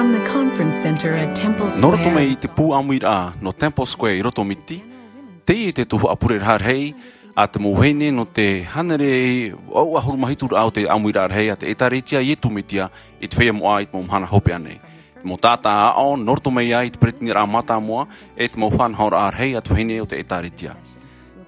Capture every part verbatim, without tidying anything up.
Nō roto mai i te pū ʻāmuiraʻa nō Temple Square i roto o Miti, teie te tuhaʻa pureraʻa rahi a te mau vahine nō te hānere ʻahuru mā hitu raʻa o te ʻāmuiraʻa rahi a te ʻĒtārētia Iesu Mesia i te feiā moʻa i te mau mahana hopeʻa nei. Te mau taʻata aʻo nō roto mai ai i te peretiteni mātāmua, e te mau faʻanahoraʻa rahi a te vahine o te ʻĒtārētia.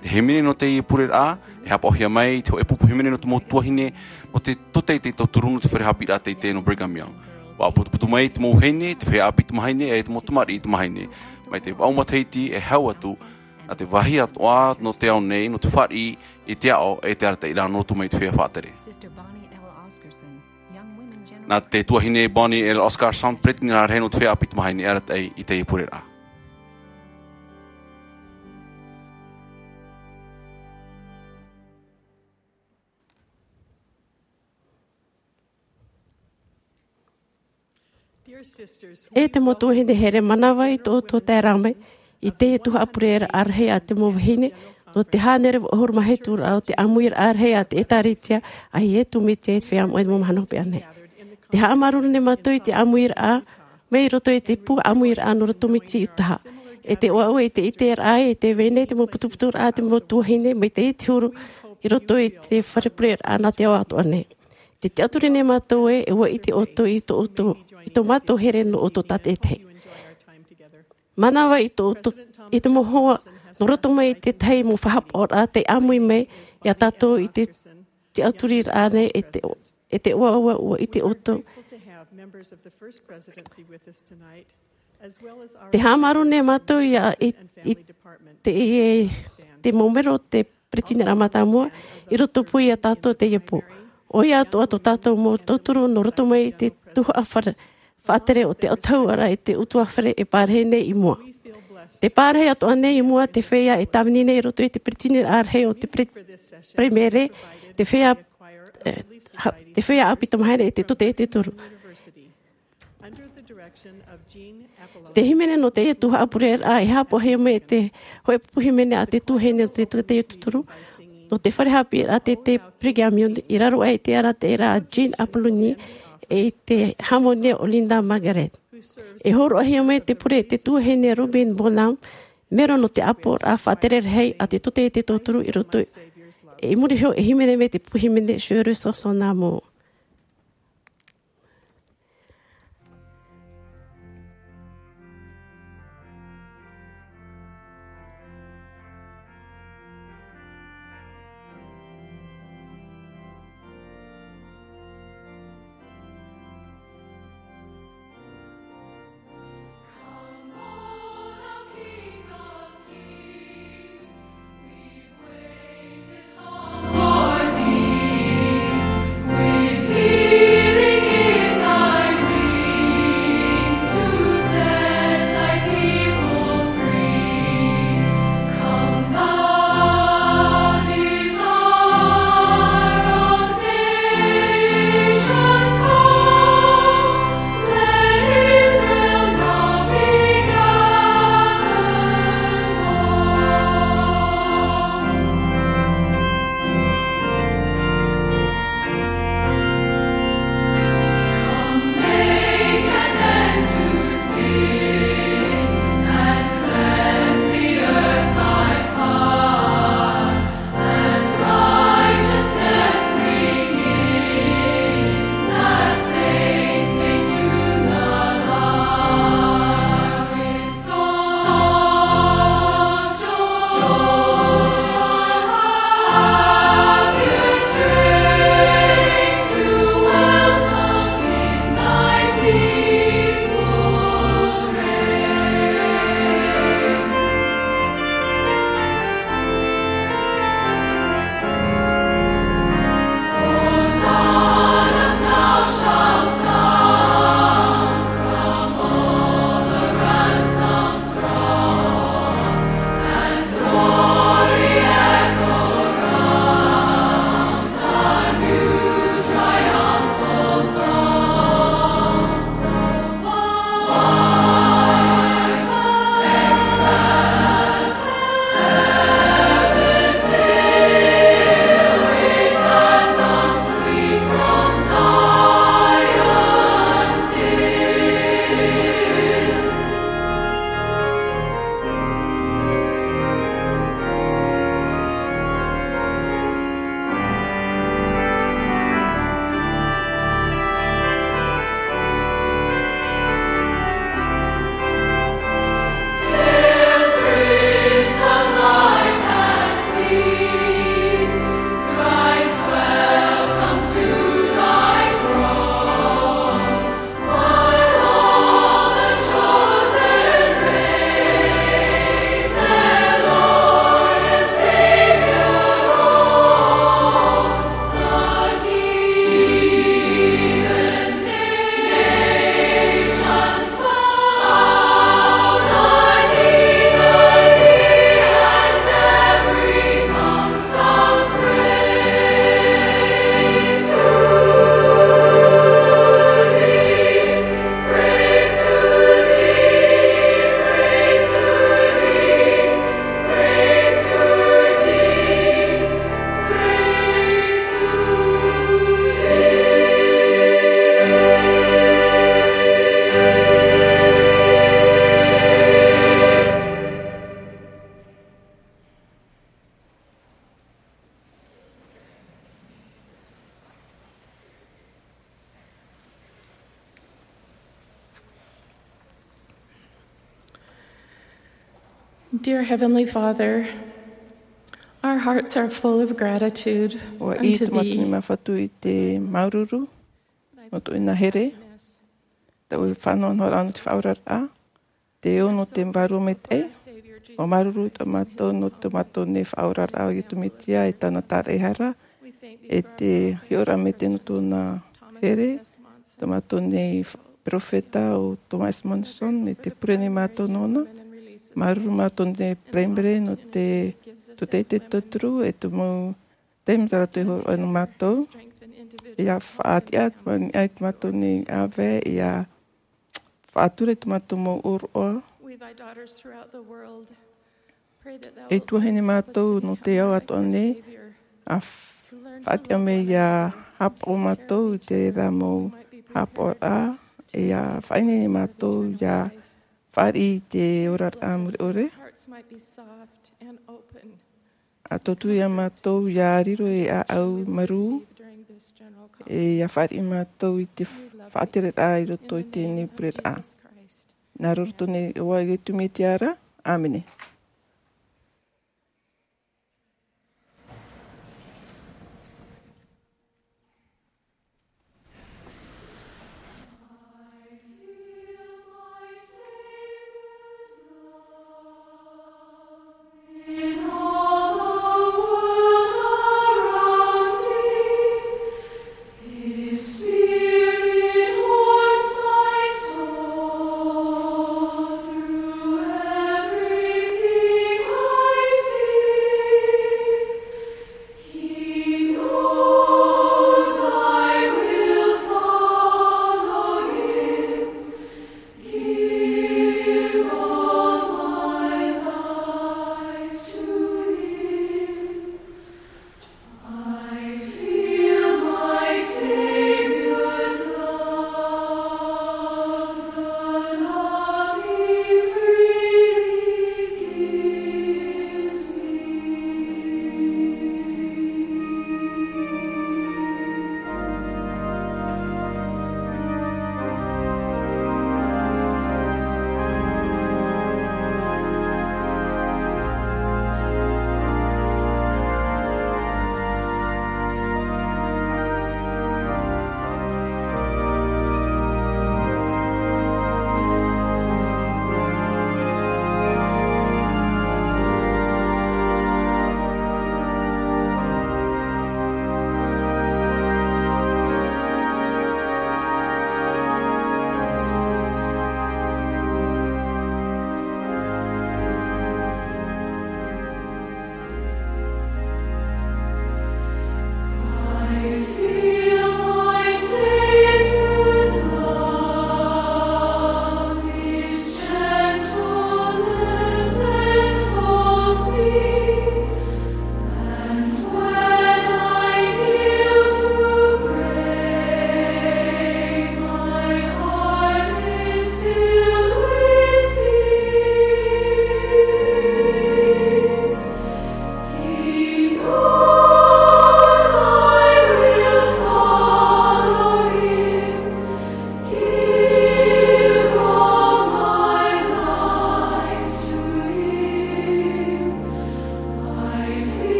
Te hīmene nō teie pureraʻa, e haʻapaʻohia mai i te hōʻē pupu hīmene nō te mau tuahine, nō te tōtaiete tauturu nō te fare haʻapiʻiraʻa teitei nō Brigham Young. ʻUa putuputu mai te mau vahine, te feiā ʻāpī tamāhine, e te mau tamariʻi tamāhine. Mai te vaʻu matahiti e hau atu, nā te vāhi atoʻa nō te ao nei, nō te fāriʻi i te aʻo, e te arataʻiraʻa nō roto mai i te feiā faʻatere. Nā te tuahine Bonnie L. Oscarson, peretiteni rahi nō te feiā ʻāpī tamāhine e arataʻi i teie pureraʻa. E te mau tuahine here, manava i tō ʻoutou taeraʻa mai i teie tuhaʻa pureraʻa rahi a te mau vahine, nō te hānere ʻahuru mā hitu raʻa o te ʻāmuiraʻa rahi a te ʻĒtārētia a Iesu Mesia i te feiā moʻa i te mau mahana hopeʻa nei. Tē haʻamāuruuru nei mātou i te ʻāmuiraʻa, mai roto i te pū ʻāmuiraʻa nō roto Miti, Utaha. E te ʻoaʻoa i te ʻiteraʻa, e tē vai nei te mau putuputuraʻa a te mau tuahine, mai te iti huru i roto i te fare pureraʻa nā te ao atoʻa nei. Tē tiʻaturi nei mātou ē, e ʻua ʻite ʻoutou i tō ʻoutou, i tō mātou here nō ʻoutou tātaʻitahi. Manava i tō ʻoutou, i te mau hoa, nō roto mai i te tahi mau faʻahaʻapaʻoraʻa tei ʻāmui mai iā tātou i te tiʻaturiraʻa nei, e te, e te ʻoaʻoa ʻua ʻite ʻoutou. Tē haʻamāuruuru nei mātou ia i, i te, i, te mau melo o te peretiteniraʻa mātāmua, i roto pū iā tātou teie pō. ʻOia atoʻa tō tātou mau tauturu nō roto mai i te tuhaʻa fare, faʻatere o te autahuʻaraʻa i te ʻutuāfare e pārahi nei i mua. Tē pārahi atoʻa nei i mua te feiā e tāvini nei i roto i te peretiteniraʻa rahi o te pre-, Peremere, te feiā, e, ha-, te feiā ʻāpī tamāhine e te tōtaiete toru. Te hīmene nō teie tuhaʻa pureraʻa e haʻapaʻohia mai e te hōʻē pupu hīmene a te tuahine nō te tōtaiete toru, nō te fare haʻapiʻiraʻa teitei Brigham Young, i raro aʻe i te arataʻiraʻa a Jean Apoloni, e i te hāmani o Linda Margaret. E hōroʻahia mai te pure e te tuahine Robin Bonham, melo nō te ʻāpoʻoraʻa faʻatere rahi a te tōtaiete toru i roto, e i muri iho e hīmene mai te pupu hīmene Sherrie Sosona Moore. Dear Heavenly Father, our hearts are full of gratitude ʻUa ʻī unto tō mātou nei thee. Māfatu i te māuruuru, nō tō ʻoe here, tā ʻoe faʻanahoraʻa nō te faʻaoraraʻa, te ō nō te vārua maitaʻi, ʻua māuruuru tō mātou nō tō mātou nei faʻaoraraʻa ʻo Iesu Mesia e tāna tāraʻehara, e te hiʻoraʻa maitaʻi nō tōna here, tō mātou nei fa-, peropheta ʻo Thomas Monson, e te pure nei mātou nōna, māuruuru mātou nei primary nō te, tō te, te tauturu, e te mau taime tā rātou e hōroʻa nō mātou, ʻia faʻatiʻa, ʻia faʻatiʻa tō mātou nei ʻāvae, ʻia faʻatura i tō mātou mau ʻōroʻa. We, thy daughters throughout the world, pray that thou E wilt tuahine bless mātou us to nō te ao atoʻa nei, Savior, a f-, to learn to faʻatiʻa mai ʻia hāpaʻo mātou i te reira mau hāpaʻoraʻa, ʻia faʻaineine mātou ʻia fāriʻi i te oraraʻa mure ʻore. Hearts might be soft and open. ʻA tauturu ia mātou ʻia riro ei ʻāʻau marū, e ʻia fāriʻi mātou i te faʻatereraʻa i roto i teie nei pureraʻa. Nā roto nei iā Iesu Mesia ra. ʻĀmene.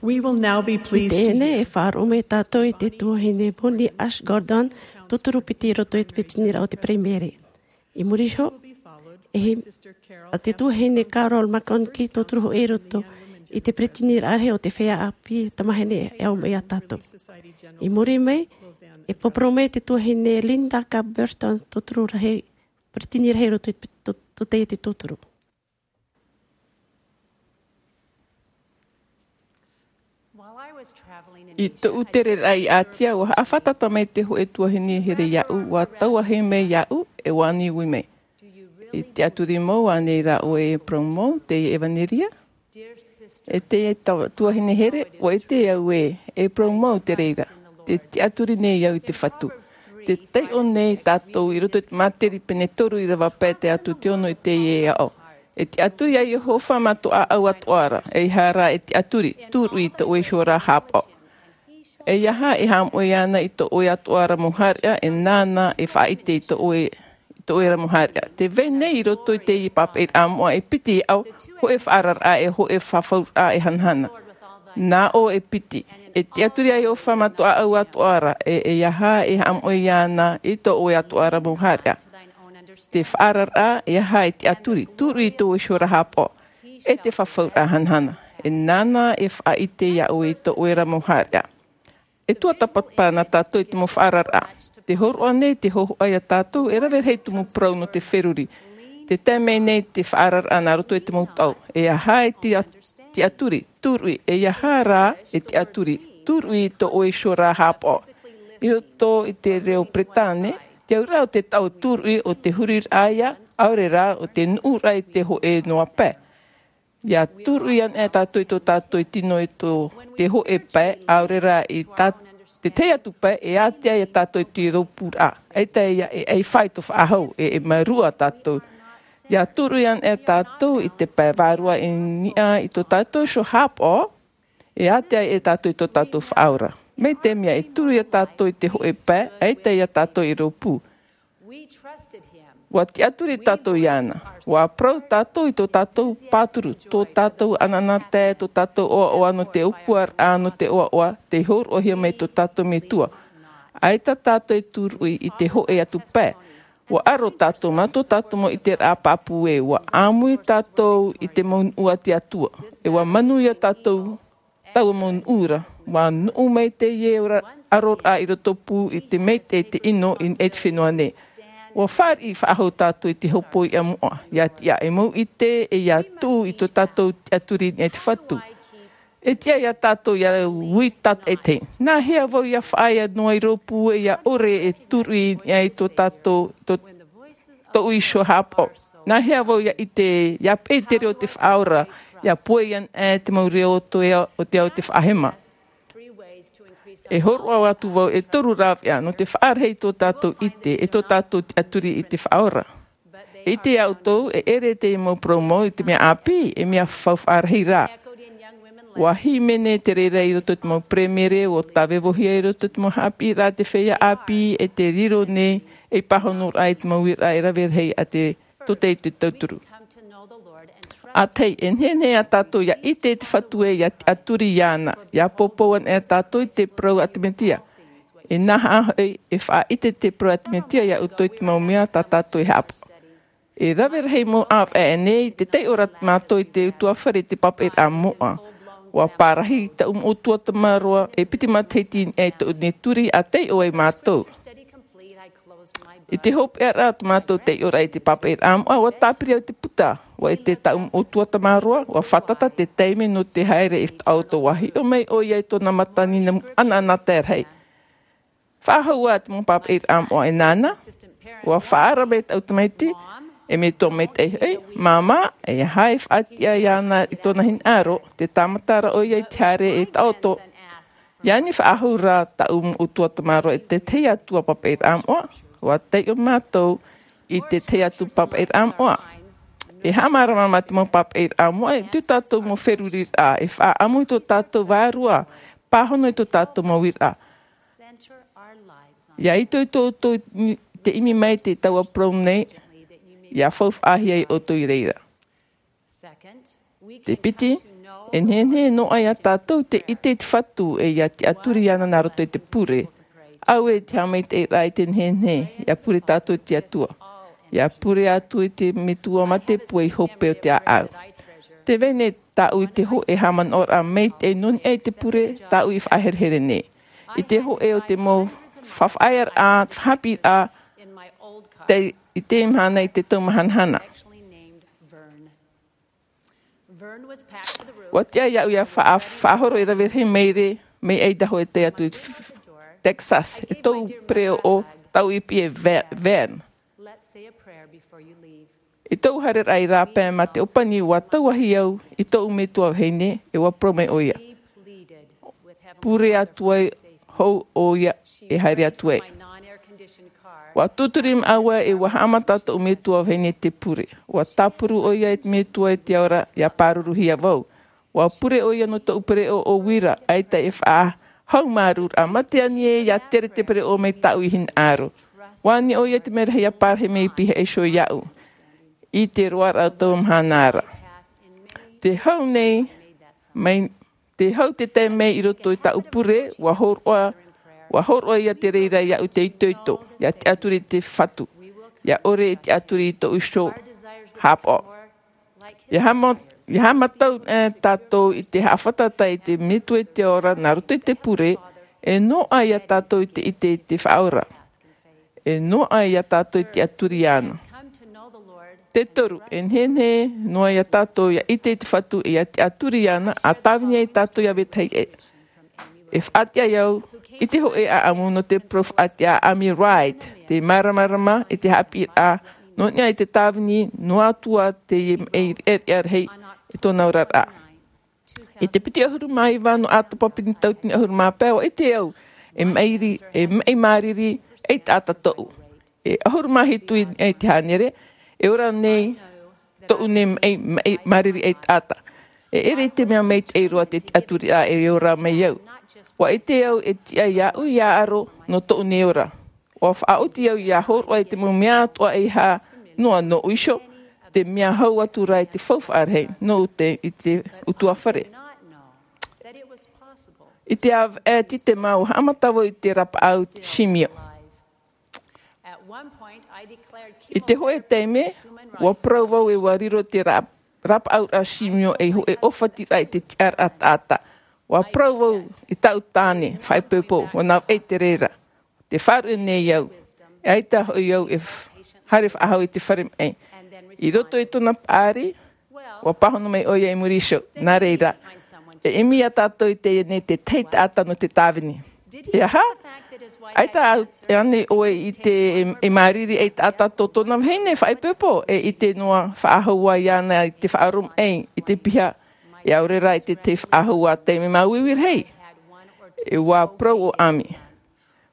We will now be I pleased to teie nei hear e faʻaroʻo mai tātou i te tuahine Bonnie Ash Gordon, tauturu piti i roto i te peretiteniraʻa o te Peretiteni. I muri iho, e hia te tuahine Carol McConkie, tauturu hoʻi i roto i te peretiteniraʻa rahi o te feiā ʻāpī tamāhine e ʻaumai ia tātou. I muri mai, e poroʻi mai te tuahine Linda K. Burton, tauturu rahi, peretiteni rahi i roto i te, tō, tō teie tauturu. I tōʻu tereraʻa i Ātia, ʻua haʻafātata mai te hōʻē tuahine here iāʻu, ʻua tauahi mai iāʻu, e ʻua ani ui mai. E tiʻaturi mau ānei rā ʻoe e parau mau, teie ʻevanelia? E te ta-, tuahine here, ʻua ʻite au ē, e parau mau te reira. Tē tiʻaturi nei au i te Fatu. Tē taiʻo nei tātou i roto i te Māteri pene toru ʻīrava pae tae atu i te ono i teie aʻo. E tiʻaturi ia Iehova mā tō ʻāʻau atoʻa ra, ʻeiaha rā e tiʻaturi, tūruʻi i tō ʻoe iho ra haʻapaʻo. ʻEiaha e haʻamoʻe iāna i tō ʻoe atoʻa ra mau haʻareʻa, e nāna e faʻaʻite i tō ʻoe, i tō ʻoe ra mau haʻareʻa. Tē vai nei i roto i teie pāpaʻiraʻa moʻa e piti aʻo, hōʻē faʻaararaʻa e hōʻē fafauraʻa e hanahana. Nā ʻō e piti, e tiʻaturi ia Iehova mā tō ʻāʻau atoʻa ra, e, ʻeiaha e haʻamoʻe iāna i tō ʻoe atoʻa ra mau haʻareʻa. Te faʻaararaʻa, ʻeiaha e tiʻaturi, tūruʻi i tō ʻoe iho ra haʻapaʻo, e te fafauraʻa hanahana. E nāna e faʻaʻite ia ʻoe i tō ʻoe ra mau haʻareʻa. E tuatāpapa na tātou i te mau faʻaararaʻa. Tē hōroʻa nei te hōhoʻa ia tātou, e rave rahi te mau parau nō te feruri. Tē tae mai nei te faʻaararaʻa nā roto i te mau taʻu. ʻEiaha e tiʻa-, tiʻaturi, tūruʻi, ʻeiaha rā e tiʻaturi, tūruʻi i tō ʻoe iho ra haʻapaʻo. I roto i te reo Peretāne, te auraʻa o te taʻu tūruʻi ʻo te huriraʻa ia, ʻaore rā ʻo te nuʻuraʻa i te hōʻē noa pae. ʻIa tūruʻi anaʻe tātou i tō tātou tino i tō te hōʻē pae, ʻaore rā i tā-, te tahi atu pae, e ātea ia tātou i te rōpūraʻa. ʻAita ia e ʻaifā i tō faʻahou, e, e mārua tātou. ʻIa tūruʻi anaʻe tātou i te pae vārua i niʻa i tō tātou iho haʻapaʻo, e ātea ia tātou i tō tātou faʻaora. Mai te mea e tūruʻi ia tātou i te hōʻē pae, ʻaita ia tātou i rōpū. ʻUa tiʻaturi tātou iāna. ʻUa parau tātou i tō tātou pāturu, tō tātou anaanatae, tō tātou ʻoaʻoa nō te ʻōpuaraʻa, nō te ʻoaʻoa, tei hōroʻahia mai tō tātou Metua. ʻAita tātou e tūruʻi i te hōʻē atu pae. ʻUa ʻaro tātou mā tō tātou mau ʻiteraʻa pāpū ē, ʻua ʻāmui tātou i te mau nuʻu a te Atua. E ʻua manuia tātou taua mau nuʻu ra. ʻUa nuʻu mai teie ora-, ʻaroraʻa i roto pū i te maitaʻi, te ʻino i niʻa i te fenua nei. ʻUa fāriʻi faʻahou tātou i te hopoiʻa moʻa, ʻia tiʻa e mau ʻite, e ʻia tuʻu i tō tātou tiʻaturi i niʻa i te Fatu. E tiʻa ia tātou ʻia ui tātaʻitahi. Nā hea vau ʻia faʻaea noa i rōpū, e ʻia ʻore e tūruʻi i niʻa i tō tātou, tō tōʻu iho haʻapaʻo. Nā hea vau ʻia ʻite, ʻia peʻe i te reo o te Faʻaora, ʻia pohe anaʻe te mau reo o te ao, o te ao o te faʻahema. E hōroʻa atu vau e toru rāveʻa nō te faʻarahi i tō tātou ʻite, e tō tātou tiʻaturi i te Faʻaora. E ʻite ā ʻoutou, e ʻere te mau parau mau i te mea ʻāpī, e mea faufaʻa rahi rā. ʻUa hīmene te reira i roto i te mau peremere, ʻua tāvevohia i roto i te mau haʻapiʻiraʻa a te feiā ʻāpī, e te riro nei, ei pāhonoraʻa i te mau uiraʻa e rave rahi a te tōtaiete tauturu. ʻA tahi, e nehenehe ia tātou ʻia ʻite i te Fatu ē, ʻia tiʻaturi iāna, ʻia poupou anaʻe tātou i te parau a te Mesia. E nā hea hoʻi, e faʻaʻite te parau a te Mesia ia ʻoutou i te mau mea tā tātou e haʻapaʻo. E rave rahi mau ʻāvaʻe nei, tē taiʻo ra mātou i te ʻutuāfare i te pāpaʻiraʻa moʻa. ʻUa pārahi taʻu moʻotua tamaroa, e piti matahiti i niʻa i tōʻu nei turi, ʻa taiʻo ai mātou. I te hopeʻaraʻa o tō mātou taiʻoraʻa i te pāpaʻiraʻa moʻa, ʻua tāpiri au i te puta. ʻUa ʻite taʻu moʻotua tamaroa, ʻua fātata te taime nō te haere i te taʻoto, ʻua hiʻo mai ʻoia i tōna matanina anaanatae rahi. Faʻahou ā te mau pāpaʻiraʻa moʻa e nāna, ʻua faʻaara mai taʻu tamaiti, e metua maitaʻi hoʻi, māmā, ʻeiaha e faʻatiʻa iāna i tōna hinaʻaro, tē tāmata ra ʻoia i te haere e taʻoto. ʻIa ani faʻahou rā taʻu moʻotua tamaroa i te tahi atu pāpaʻiraʻa moʻa, ʻua taiʻo mātou i te tahi atu pāpaʻiraʻa moʻa. E haʻamārama mā te mau pāpaʻiraʻa moʻa i tō tātou mau feruriraʻa, e faʻaʻamu i tō tātou vārua, pāhono i tō tātou mau uiraʻa. ʻIa itoito ʻoutou i te ʻimi mai i te taua parau nei, ʻia faufaʻahia ʻoutou i reira. Te piti, E nehenehe noa ia tātou te ʻite i te Fatu e ia tiʻaturi iāna nā roto i te pure. Auē te haʻamaitaʻiraʻa i te nehenehe, ia pure tātou i te Atua. Ia pure atu i te Metua mā te pūai hope o te ʻāʻau. Te vai nei tāʻu i te hōʻē haʻamanaʻoraʻa maitaʻi nō niʻa i te pure, tāʻu i faʻaherehere nei. I te hōʻē o te mau faʻaʻaʻaraʻa, haʻapiʻiraʻa, te, i te mahana i te tau mahanahana. ʻUa tiʻa iāʻu ia faʻa-, faʻahoro e rave rahi maire, mai Idaho e tae atu i Texas, e tōʻu pereʻoʻo, tāʻu i piʻi e Ve-, Vern. I tōʻu haereraʻa i rāpae mā te ʻōpani ʻua tauahi au i tōʻu metua vahine, e ʻua parau mai ʻoia. Pure atu ai hou ʻoia e haere atu ai. ʻUa tūturi māua e ʻua haʻamata tōʻu metua vahine te pure. ʻUa tāpuru ʻoia e te Metua i te ao ra ia pāruruhia vau. ʻUa pure ʻoia nō tōʻu pereʻoʻo uira, ʻaita e faʻahaumārūraʻa mā te ani ē ia tere te pereʻoʻo mai tāʻu i hinaʻaro. ʻUa ani ʻoia te mea rahi ia pārahi mai i pihaʻi iho iāʻu. I te roaraʻa o taua mahana ra. Te hau nei, mai, te hau te tae mai i roto i tāʻu pure, ʻua hōroʻa, ʻua hōroʻa ia te reira iāʻu te itoito, ia tiʻaturi i te Fatu, ia ʻore e tiʻaturi i tōʻu iho haʻapaʻo. Ia haʻama-, ia haʻamata, e, tātou i te haʻafātata i te Metua i te ao ra nā roto i te pure, e noaʻa ia tātou i te ʻite i te Faʻaora. E noaʻa ia tātou i te tiʻaturi iāna. Te toru, e nehenehe noa ia tātou ia ʻite i te Fatu e ia tiʻaturi iāna, ʻa tāvini ai tātou ia vetahi ʻē. E faʻatiʻa au i te hōʻē ʻaʻamu nō te parau faʻatiʻa a ʻAmi Wright, te māramarama i te haʻapiʻiraʻa, nō niʻa i te tāvini, noa atu ā te maʻi riʻariʻa rahi i tōna oraraʻa. I te piti ʻahuru mā iva nō ʻĀtapa piti tauatini ʻahuru mā pae, ʻua ʻite au, e maʻiri, e maʻi māriri ei taʻata tōʻu. E ʻahuru mā hitu i, i te hānere, e ora nei tōʻu nei maʻi, maʻi māriri ei taʻata. E ʻere i te mea maitaʻi roa te tiʻaturiraʻa e ora mai au. ʻUa ʻite au e tiʻa iāʻu ia aro nō tōʻu nei ora. ʻUa faʻaoti au ia hōroʻa i te mau mea atoʻa e hā noa nōʻu iho, te mea hau atu rā i te faufaʻa rahi nō te, i te ʻutuāfare. I te ʻāvaʻe titema ʻua haʻamata vau i te rapaʻau simio. I te hōʻē taime, ʻua parau vau e ʻua riro te ra-, rapaʻauraʻa simio ei hōʻē ʻōfatiraʻa i te tiʻaraʻa taʻata. ʻUa parau vau i tāʻu tāne, faʻaipoipo, ʻua navaʻi te reira. Tē faʻaruʻe nei au, e ʻaita hoʻi au e f-, haere faʻahou i te fare maʻi. I roto i tōna paʻari, ʻua pāhono mai ʻoia i muri iho, nā reira. E ʻimi ia tātou i teie nei te tahi taʻata nō te tāvini. E aha? ʻAita au, e ani ʻoe i te, e, e māriri ei taʻata tō tōna vahine faʻaipoipo, e ʻite noa faʻahou iāna i te faʻaroʻo maʻi, i te piha, e ʻaore rā i te tahi faʻahou taime māuiui rahi. E ʻua parau ʻo ʻAmi.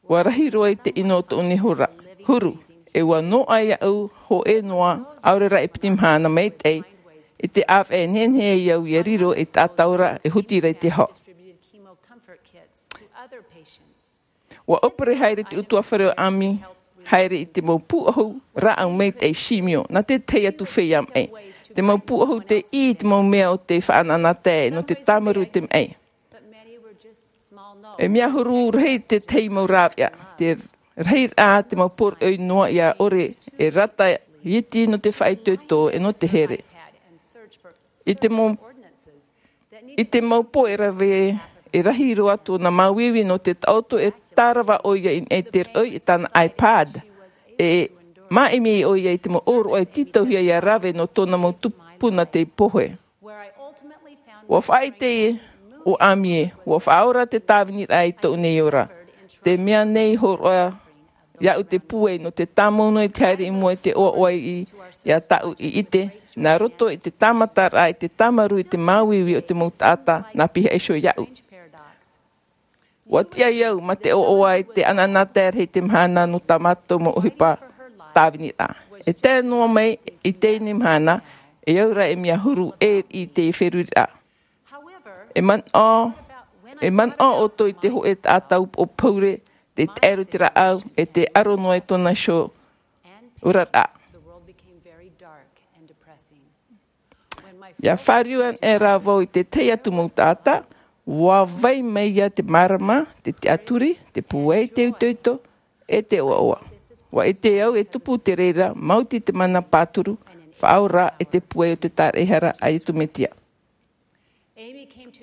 ʻUa rahi roa i te ʻino o tōʻu nei hora, huru, e ʻua noaʻa iāʻu hōʻē noa, ʻaore rā e piti mahana maitaʻi, i te ʻāvaʻe e nehenehe ai au ia riro ei taʻata ora e huti ra i te hau. ʻUa ʻōpere haere te ʻutuāfare o ʻAmi, haere i te mau pūʻohu rāʻau maitaʻi simio, nā te tahi atu feiā maʻi. Te mau pūʻohu tei ʻī i te mau mea o te faʻanahonahotae nō te tāmarū i te maʻi. E mea huru rahi te tahi mau rāveʻa, te rahiraʻa te mau poroʻi noa ia ʻore e rata iti nō te faʻaitoito e nō te here. I te mau, i te mau pō e rave, e rahi roa tōna māuiui nō te taʻoto e tārava ʻoia i niʻa i te roʻi i tāna iPad. E māʻimi ʻoia i te mau ʻōroʻa e tītauhia ia rave nō tōna mau tupuna tei pohe. ʻUa faʻaʻite ʻo ʻAmi ē, ʻua faʻaora te tāviniraʻa i tōʻu nei ora. Te mea nei hōroʻa iāʻu te pūai nō te tāmau noa i te haere i mua i te ʻoaʻoa i, ia tāʻu i ʻite, nā roto i te tāmataraʻa, i te tāmarū, i te māuiui o te mau taʻata, nā pihaʻi iho iāʻu. ʻUa tiʻa au mā te ʻoaʻoa i te ʻanaʻanatae rahi i te mahana nō tā mātou mau ʻohipa tāviniraʻa. E tae noa mai i teie mahana, e au ra e mea huru ʻē i te feruriraʻa. E manaʻo, e manaʻo ʻoutou i te hōʻē taʻata upoʻo poure, tē taʻero te rāʻau, e tē aro noa i tōna iho oraraʻa. Ia fāriu anaʻe rā vau i te tahi atu mau taʻata, ua vai mai ia te mārama, te tiʻaturi, te pūai, te itoito, e te ʻoaʻoa. Ua ʻite au e tupu te reira, maoti te mana pāturu, faʻaora e te pūai o te tāraʻehara a Iesu Mesia.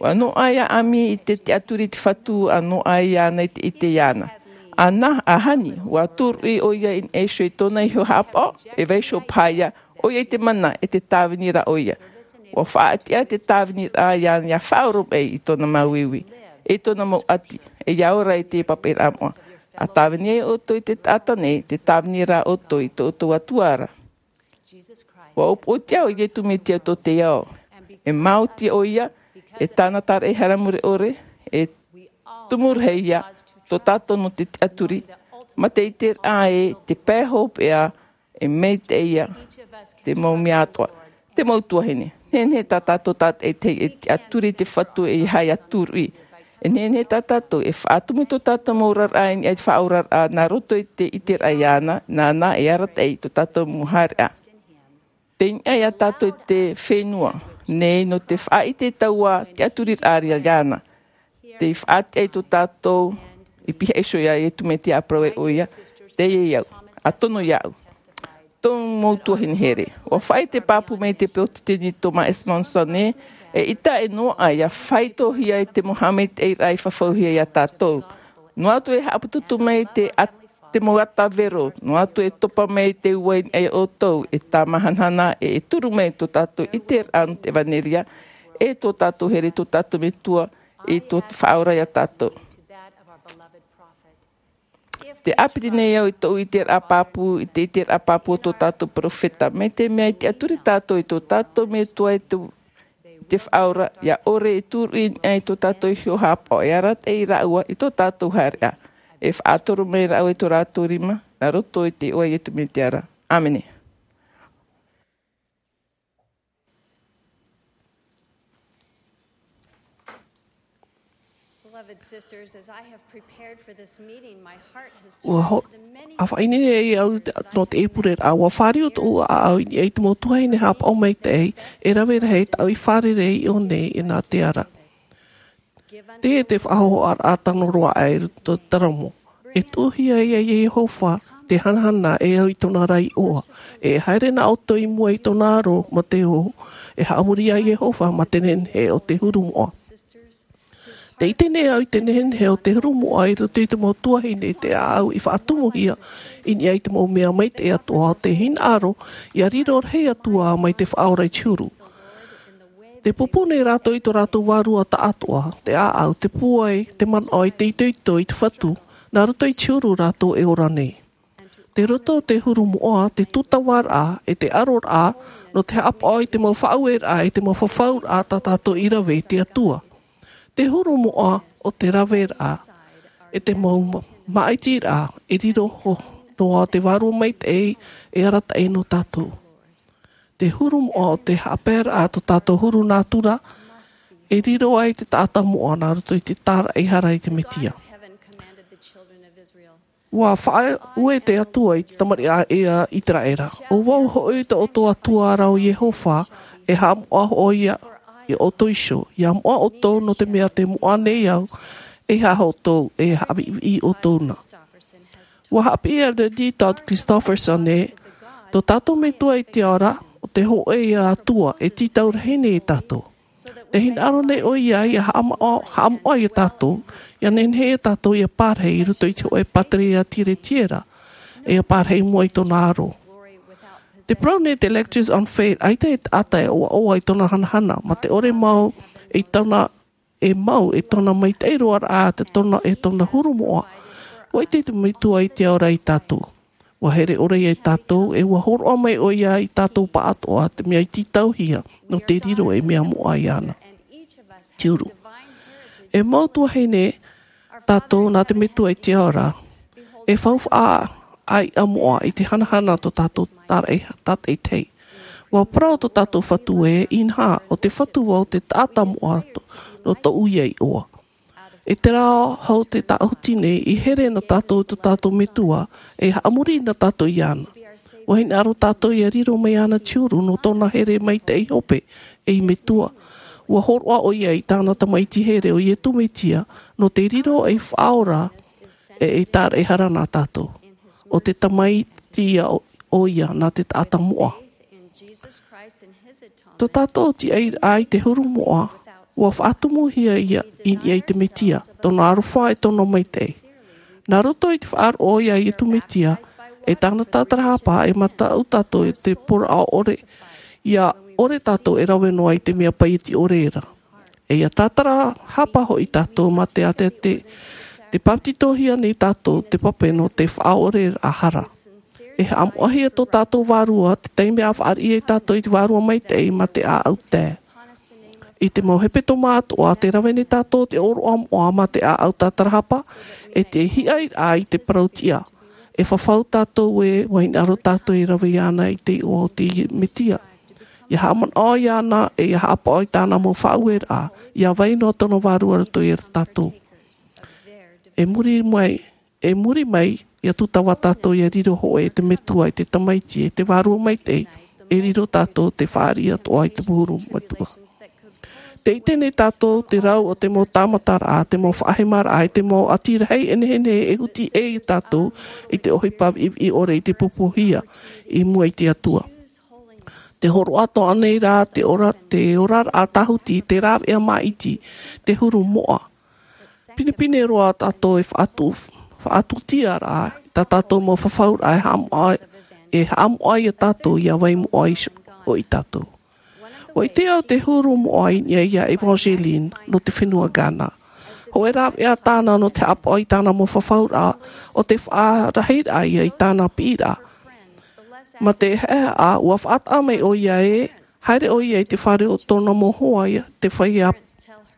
Ua noaʻa ia Amy i te tiʻaturi i te Fatu, ʻa noaʻa iāna i te ʻite iāna. ʻĀna, ʻa Honey, ua tūruʻi ʻoia i niʻa iho i tōna iho haʻapaʻo, e vaiiho paha ia, ʻoia i te mana e te tāvini ra ʻoia. Ua faʻatiʻa te tāvini ra iāna ia faʻaora mai i tōna māuiui, e i tōna mau ʻati, e ia ora i te papaʻiraʻa moʻa. ʻA tāvini ai ʻoutou i te taʻata nei, te tāvini ra ʻoutou i tō ʻoutou Atua ra. Ua ʻōpuʻotia ʻo Iesu Mesia tō te ao. E maoti ʻoia, e tāna tāraʻehara mure ʻore, e tumu rahi ia, tō tātou nō te tiʻaturi, mā te ʻiteraʻa ē, te pae hopeʻa, e maitaʻi ia, te mau mea atoʻa. Te mau tuahine. Nehenehe tā tātou tātaʻitahi e tiʻaturi i te Fatu e ʻeiaha ia tūruʻi. E nehenehe tā tātou e faʻatumu i tō tātou mau oraraʻa i niʻa i te faʻaoraraʻa nā roto i te ʻiteraʻa iāna, nāna e arataʻi i tō tātou mau haereʻa. Tei niʻa ia tātou i te fenua nei nō te faʻaʻite i taua tiʻaturiraʻa iāna. Tei faʻatiʻa i tō tātou i pihaʻi iho ia Iesu Mesia ʻa parau ai ʻoia, teie au, ʻa tono iāʻu. Tō mau tuahine here. Ua faʻaʻite pāpū mai te peresideni Thomas S. Monson ē, eʻita e noaʻa ia faitohia i te mau haʻamaitaʻiraʻa i fafauhia ia tātou. Noa atu e haʻaputuputu mai te ʻat-, te mau ʻata vero, noa atu e topa mai te ua i niʻa ia ʻoutou, e tāmāhanahana, e, e turu mai tō tātou ʻiteraʻa nō te ʻevanelia, e tō tātou here, tō tātou Metua, i tō te Faʻaora ia tātou. Tē ʻāpiti nei au i tōʻu ʻiteraʻa pāpū, i te ʻiteraʻa pāpū o tō tātou perofeta, mai te mea i tiʻaturi tātou i tō tātou Metua i te, i te Faʻaora, ia ʻore e tūruʻi i niʻa i tō tātou iho haʻapaʻo, e arataʻi rāua i tō tātou haereʻa. E faʻatoro mai rāua i tō rātou rima, nā roto i te iʻoa o Iesu Mesia ra. ʻĀmene. Beloved sisters, as I have prepared for this meeting, my heart has Ua turned ho-, to the many a faʻaineine nei au te, nō te ʻēpureraʻa, ua fāriu tōʻu ʻāʻau i niʻa i te mau tuahine haʻapaʻo maitaʻi, e rave rahi tāʻu i fārerei i ʻō nei e nā te ara. Teie te faʻahohoʻaraʻa tano roa aʻe i roto i te taramo. E tuʻuhia ia Iehova te hanahana e au i tōna ra iʻoa. E haere na ʻoutou i mua i tōna aro mā te ō, e haʻamori ia Iehova mā te nehenehe o te huru moʻa. Tē ʻite nei au i te nehenehe o te huru moʻa i roto i te mau tuahine, te ʻāʻau i faʻatumuhia i niʻa i te mau mea maitaʻi atoʻa, te hinaʻaro ia riro rahi atu ā mai te Faʻaora i te huru. Tē pūpū nei rātou i tō rātou vārua taʻatoʻa, te ʻāʻau, te pūai, te manaʻo, i te itoito, i te Fatu, nā roto i te huru rātou e ora nei. Tei roto te huru moʻa, te tūtavaraʻa, e te aroraʻa, nō te haʻapaʻo i te mau faʻaueraʻa, e te mau fafauraʻa tā tātou i rave i te Atua. Te huru moʻa o te raveraʻa, e te mau ma-, māʻitiraʻa, e riro ho-, noa te vārua maitaʻi, e arataʻi nō tātou. Te huru moʻa o te haʻapaeraʻa tō tātou huru nātura, e riro ai te taʻata moʻa nā roto i te tāraʻehara i te Mesia. Ua faʻaue te Atua i te tamariʻi a Iteraera. ʻO vau hoʻi tō ʻoutou Atua ra ʻo Iehova, e haʻamoʻa hoʻi ia, ia ʻoutou iho, ia moʻa ʻoutou nō te mea tē moʻa nei au, e haʻa ʻoutou, e haʻaviʻiviʻi ʻoutou na. Ua haʻapiʻi e Elder D. Todd Christofferson ē, tō tātou Metua i te ao ra, ʻo te hōʻē ia Atua, e tītau rahi nei ia tātou. Tē hinaʻaro nei ʻoia ia haʻamoʻa, haʻamoʻa ia tātou, ia nehenehe ia tātou ia pārahi i roto i te hōʻē pātireia tiretie ra, e ia pārahi i mua i tōna aro. Tē parau nei te Lectures on Faith, ʻaita e taʻata e ʻoaʻoa i tōna hanahana, mā te ʻore mau i tōna, e mau i tōna maitaʻi roaraʻa, te tōna, e tōna huru moʻa. ʻUa ʻite te Metua i te ao ra ia tātou. ʻUa here ʻore ia ia tātou, e ʻua hōroʻa mai ʻoia ia tātou pāʻatoʻa, te mea i tītauhia, nō te riro ei mea moʻa iāna. Te huru. E mau tuahine tātou nā te Metua i te ao ra, e faufaʻa ʻāiʻa moʻa i te hanahana tō tātou tāraʻe-, tātaʻitahi. ʻUa parau tō tātou Fatu ē, inaha, ʻo te Fatu vau te taʻata moʻa tō, nō tōʻu ia iʻoa. I terā hau te tāʻuti nei, i here na tātou i tō tātou Metua, e haʻamori na tātou iāna. Ua hinaʻaro tātou ia riro mai iāna te huru nō tōna here maitaʻi hope ei metua. Ua hōroʻa ʻoia i tāna tamaiti here ʻo Iesu Mesia nō te riro ei faʻaora e ei tāraʻehara nā tātou. ʻO te tamaiti ia ʻoia nā te taʻata moʻa. Tō tātou tiʻairaʻa i te huru moʻa, ua faʻatumuhia ia i niʻa i te Mesia, tōna aroha e tōna maitaʻi. Nā roto i te faʻaroʻo ia Iesu Mesia, e tāna tātarahapa e mataʻu tātou i te poroʻa ʻore, ia ʻore tātou e rave noa i te mea paʻiti ʻore ra. E ia tātarahapa hoʻi tātou mā te ate te, te papetitohia nei tātou te pape nō te faʻaoreraʻa hara. E haʻamoʻahia tō tātou vārua te taime a faʻariʻi ai tātou i te Vārua Maitaʻi mā te ʻāʻau tae. I te mau hepetoma atoʻa te rave nei tātou te ʻōroʻa moʻa mā te ʻāʻau tātarahapa, e te hiʻairaʻa i te parau tiʻa. E fafau tātou e ua hinaʻaro tātou e rave iāna i te iʻoa o te Mesia. Ia haʻamanaʻo iāna e ia haʻapaʻo i tāna mau faʻaueraʻa, ia vai noa tōna vārua roto ia tātou. E muri mai, e muri mai, ia tūtava tātou ia riro hoʻi e te metua i te tamaiti e te Vārua Maitaʻi, e riro tātou te faʻariʻi atoʻa i te huru metua. Te ʻite nei tātou te rau o te mau tāmataraʻa, te mau faʻahemaraʻa, e te mau ʻati rahi e nehenehe e huti ai tātou i te ʻohipa viʻiviʻi ʻore i te pupuhia i mua i te Atua. Te hōroʻa atoʻa nei rā, te ora, te oraraʻa tāhuti, te rāveʻa māʻiti, te huru moʻa. Pinepine roa tātou e faʻatu-, faʻatutia rā, tā tātou mau fafauraʻa e haʻamoʻa, e haʻamoʻa ia tātou ia vai moʻa i so-, hoʻi tātou. Ua ʻite au te huru moʻa i niʻa ia Evangeline nō te fenua Ghana. Hōʻē rāveʻa tāna nō te haʻapaʻo i tāna mau fafauraʻa, ʻo te faʻarahiraʻa ia i tāna piʻiraʻa. Mā te haʻehaʻa, ua faʻataʻa mai ʻoia e, haere ʻoia i te fare o tōna mau hoa ia, te feiā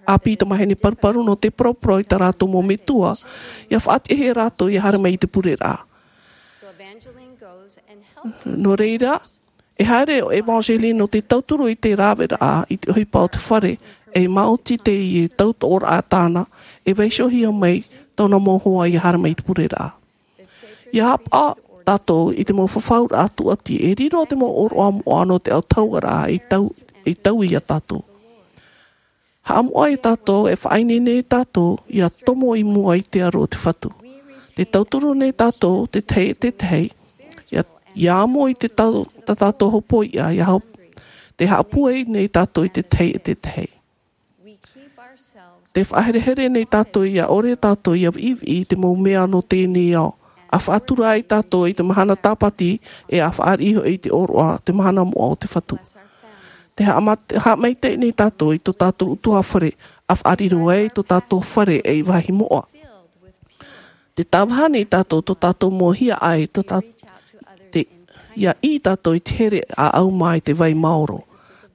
ʻāpī tamāhine paruparu nō te paraparau i tā rātou mau metua, ia faʻatiʻahia rātou ia haere mai i te pureraʻa. Nō reira, e haere ʻo Evangeline nō te tauturu i te rāveʻa i te ʻohipa o te fare, e maoti te tautoʻoraʻa tāna, e vaiihohia mai tōna mau hoa ia haere mai i te pureraʻa. Ia haʻapaʻo tātou i te mau fafauraʻa tūʻati, e riro te mau ʻōroʻa moʻa nō te autahuʻaraʻa i tau, i tau ia tātou. Haʻamoʻa ia tātou, e faʻaineine ia tātou, ia tomo i mua i te aro o te Fatu. Te tauturu nei tātou, te tahi e te tahi, ia, ia amo i te tau, tā tātou hopoiʻa, ia hop-, te haʻapūai nei tātou i te tahi e te tahi. Te faʻaherehere nei tātou, ia ʻore tātou ia viʻiviʻi i te mau mea nō teie nei ao. A faʻatura ai tātou i te mahana tāpati, e a faʻariʻi hoʻi i te ʻōroʻa, te mahana moʻa o te Fatu. Te haʻamat-, haʻamaitaʻi nei tātou i tō tātou ʻutuāfare, a faʻariro ai tō tātou fare ei vāhi moʻa. Te tāvaha nei tātou tō tātou mau hiaʻai, tō tā-, te, ia ʻī tātou i te here ʻāʻau mā i te vai maoro.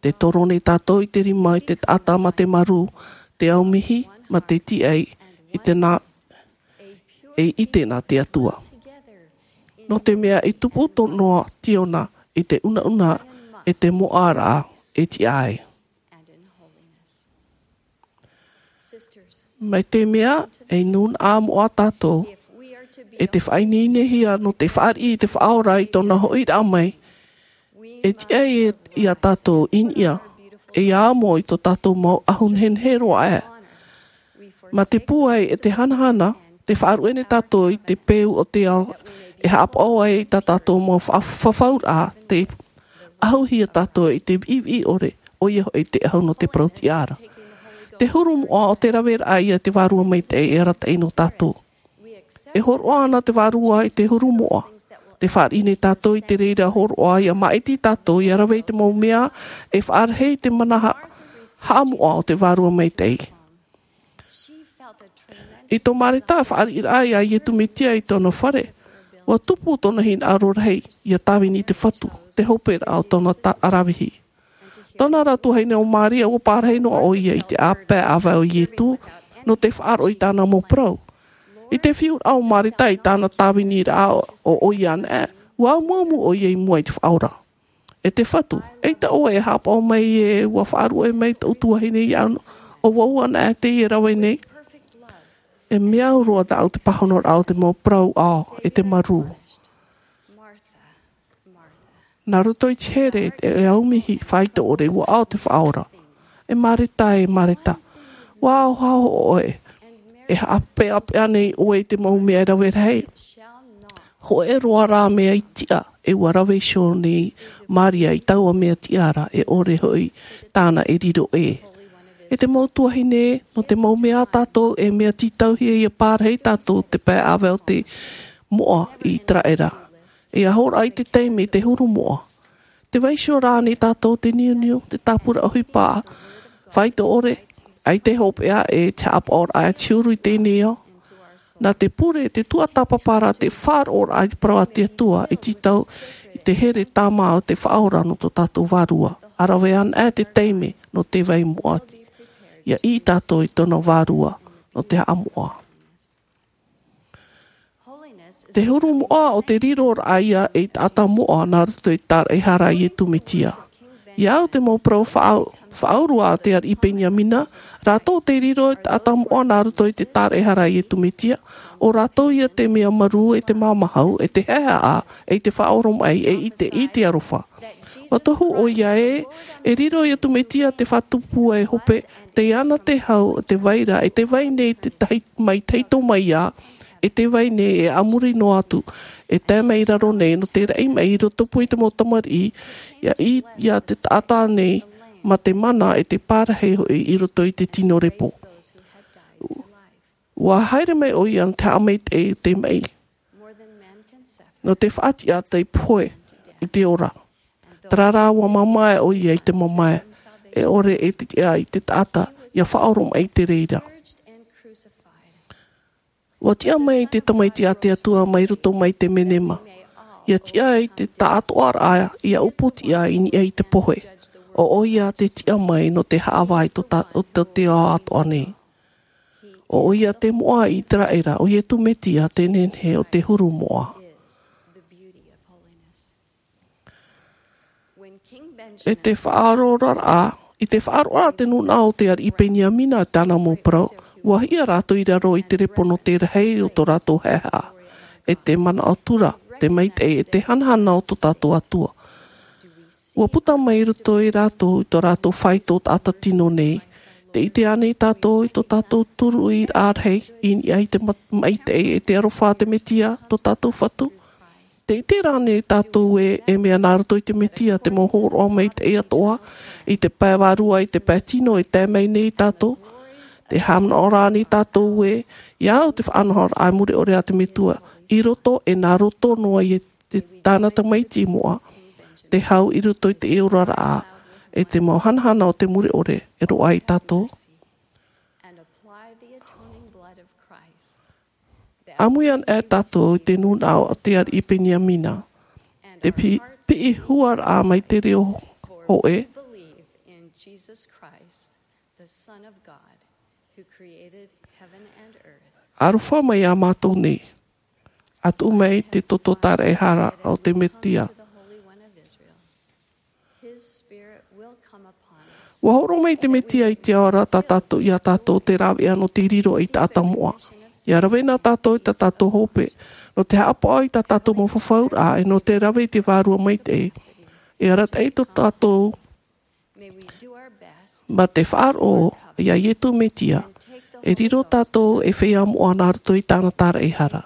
Te toro nei tātou i te rima i te taʻata mā te marū, te aumihi, mā te tiʻai, i te nā, e ʻite nā te Atua. Nō te mea i tupu tō noa Tiona i te unauna e te moʻaraʻa e tiʻa ai. Mai te mea, e nūnaʻa moʻa tātou, e te faʻaineinehia nō te fāriʻi i te Faʻaora i tōna hoʻiraʻa mai, e tiʻa ai ia tātou i niʻa, e ia amo i tō tātou mau ʻahu nehenehe roa aʻe. Mā te pūai e te hanahana, te faʻaruʻe nei tātou i te peu o te ao, e haʻapaʻo ai i tā tātou mau fa-, fafauraʻa, te ʻahuhia tātou i te viʻiviʻi ʻore, ʻoia hoʻi te ʻahu nō te parau tiʻa ra. Te huru moʻa o te raveraʻa ia te Vārua Maitaʻi e arataʻi nō tātou. E hōroʻa ana te Vārua i te huru moʻa. Te fāriʻi nei tātou i te reira hōroʻa ia māʻiti tātou ia rave i te mau mea e faʻarahi i te mana ha-, haʻamoʻa o te Vārua Maitaʻi. I tō Mareta fāriʻiraʻa ia Iesu Mesia i tōna fare, ʻua tupu tōna hinaʻaro rahi ia tāvini i te Fatu, te hoperaʻa o tōna ta-, ʻaravihi. Tōna rā tuahine ʻo Maria, ʻua parahi noa ʻoia i te ʻāpae ʻāvae o Iesu, nō te faʻaroʻo i tāna mau parau. I te fiuraʻa o Mareta i tāna tāviniraʻa ʻo, ʻo ʻoia anaʻe, ʻua amuamu ʻoia i mua i te Faʻaora. E te Fatu, eʻita ʻoe e haʻapaʻo mai ē ʻua faʻaruʻe mai tōʻu tuahine iāʻu, ʻo vau anaʻe teie e rave nei? E mea au roa tāʻu te pāhonoraʻa o te mau parau ʻao, e te marū. Nā roto i te here e aumihi faito ʻore ua ao te faʻaora. E mareta e mareta, ua aohao ʻoe. E haʻapeʻapeʻa nei ʻoe i te mau mea e rave rahi. Hoʻe roa rā mea i tiʻa e ua rave iho nei maria i taua mea tiʻa ra e ʻore hoʻi tāna e riro ʻē. E te mau tuahine, nō te mau mea a tātou e mea tītauhia ia pārahi tātou te pae ʻāvae o te moʻa i iteraera. E ahoraʻa i te taime te huru moʻa. Te vaiho rā nei tātou te niuniu te tāpura ʻohipa faito ʻore, ai te hopeʻa e te haʻapaʻoraʻa e te huru i tēnei ao. Nā te pure te tuatāpapa rā te faʻaroʻoraʻa i te parau a te atua e tītau i te here tāmā o te faʻaora nō tō tātou vārua. A rave ana e te taime nō te vai moʻa ia ʻī tātou i tōna vārua nō te haʻamoʻa. Te huru moʻa o te riro raʻa ia e i taʻata moʻa nā roto i te tāraʻehara a iesu mesia. Ia au te mau parau faʻaurua a te ariʻi peniamina, rātou te riro i taʻata moʻa nā roto i te tāraʻehara a iesu mesia. O rātou ia te mea marū e te māmāhau e te haehaʻa e i te faʻaoromaʻi e i te i te arofa. Ua tohu ʻoia ē e riro iesu mesia te fatu pūai hope, tei ana te hau te vai ra e te vai nei te tahi mai tahito mai ia e te vai nei e ʻamuri noa atu e tae mai i raro nei nō te raʻi mai i roto pū i te mau tamariʻi ia ʻī ia te taʻata nei ma te mana e te pārahi hoʻi i roto i te tino repo. Ua haere mai ʻoia nō te haʻamaitaʻi te maʻi nō te faʻatiʻa tei pohe i te ora. Tarara ua mamae ʻoia i te mamae e ʻore e tiʻa i te taʻata ia faʻaoromaʻi i te reira. Ua tiʻa mai te tamaiti a te atua mai roto mai te menema ia tiʻa i te taʻatoʻaraʻa ia upoʻotiʻa i niʻa i te pohe. O ʻoia te tiʻa mai nō te haʻavā i tō te ao atoʻa nei. O ʻoia te moʻa i iteraera o iesu mesia te nehenehe o te huru moʻa. E te faʻaroʻoraʻa i te faʻaroʻoraʻa te nūnaʻa o te ariʻi peniamina i tāna mau parau. Ua hiʻa rātou i raro i te repo nō te rahi o tō rātou haehaʻa e te manaʻo tura te maitaʻi e te hanahana o tō tātou atua. Ua puta mai roto i rātou i tō rātou faito taʻata tino nei. Te ʻite ānei tātou i tō tātou turuʻiraʻa rahi i niʻa i te maitaʻi e te arofa a te mesia tō tātou fatu? Te ʻite rānei tātou ē e mea nā roto i te mesia te mau hōroʻa maitaʻi atoʻa i te pae vārua i te pae tino e tae mai nei tātou? Te haʻamanaʻo rānei tātou ē ia au te faʻanahoraʻa mure ʻore a te metua i roto e nā roto noa i te tāna tamaiti moʻa te hau i roto i te oraraʻa e te mau hanahana o te mure ʻore e roaʻa ai tātou? ʻĀmui ana e tātou i te nūnaʻa o te ariʻi peniamina te piʻi huaraʻa mai te reo hoʻe. Aroha mai iā mātou nei. A tuʻu mai te toto tāraʻehara o te mesia. Ua horo mai te mesia i te ao ra tā tātou iā tātou te rāveʻa nō te riro i taʻata moʻa. Ia rave na tātou i tā tātou hope nō te haʻapaʻo i tā tātou mau fafauraʻa e nō te rave i te vārua maitaʻi. E arataʻi tō tātou ma te faʻaroʻo iā iesu mesia e riro tātou e feiā moʻa nā roto i tāna tāraʻehara.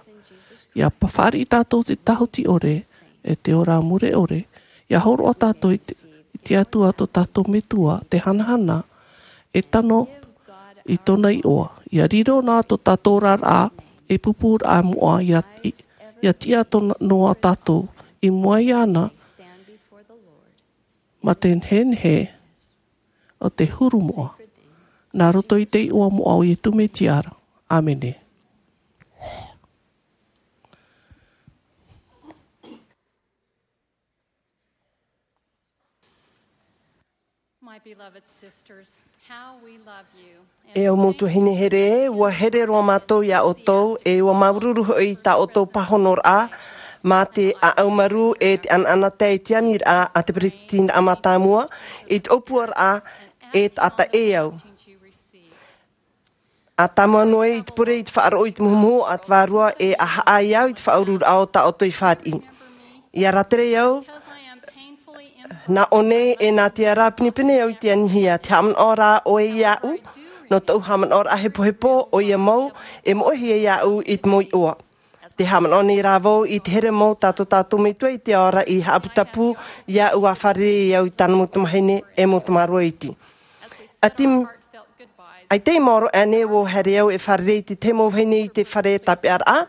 Ia fāriʻi tātou te tahuti ʻore e te ora mure ʻore. Ia horoʻa tātou i te atua tō tātou metua te hanahana e tano i tōna iʻoa. Ia riro nā tō tātou oraraʻa e pupūraʻa moʻa ia tiʻa noa tātou i mua iāna ma te nehenehe o te huru moʻa nā roto i te iʻoa moʻa o iesu mesia ra. ʻĀmene. E au mau tuahine here, ua here roa mātou iā ʻoutou e ua māuruuru hoʻi i tā ʻoutou pāhonoraʻa mā te ʻaʻau marū e te ʻanaʻanatae i te aniraʻa a te peresideni mātāmua i te ʻōpuaraʻa e taʻata e au. A tāmau noa i te pure i te faʻaroʻo i te muhumuhu a te vārua e a haʻa i au i te faʻauruuraʻa o tā ʻoutou i fāriʻi. Ia rātere au Nā ʻō nei e nā te ara pinepine au i te anihia, te haʻamanaʻo rā ʻoe iāʻu, nō tōʻu haʻamanaʻo rā hepohepo, ʻoia mau, e moʻehia iāʻu i te mau iʻoa. Te haʻamanaʻo nei rā vau i te here mau tā tō tātou Metua i te ao ra i haʻaputapū iāʻu ʻa fārerei au i tāna mau tamahine e mau tamāroa iti. A Tim, ʻaita i maoro aʻe nei ʻua haere au e fārerei i te tahi mau vahine i te fare tāpeʻaraʻa,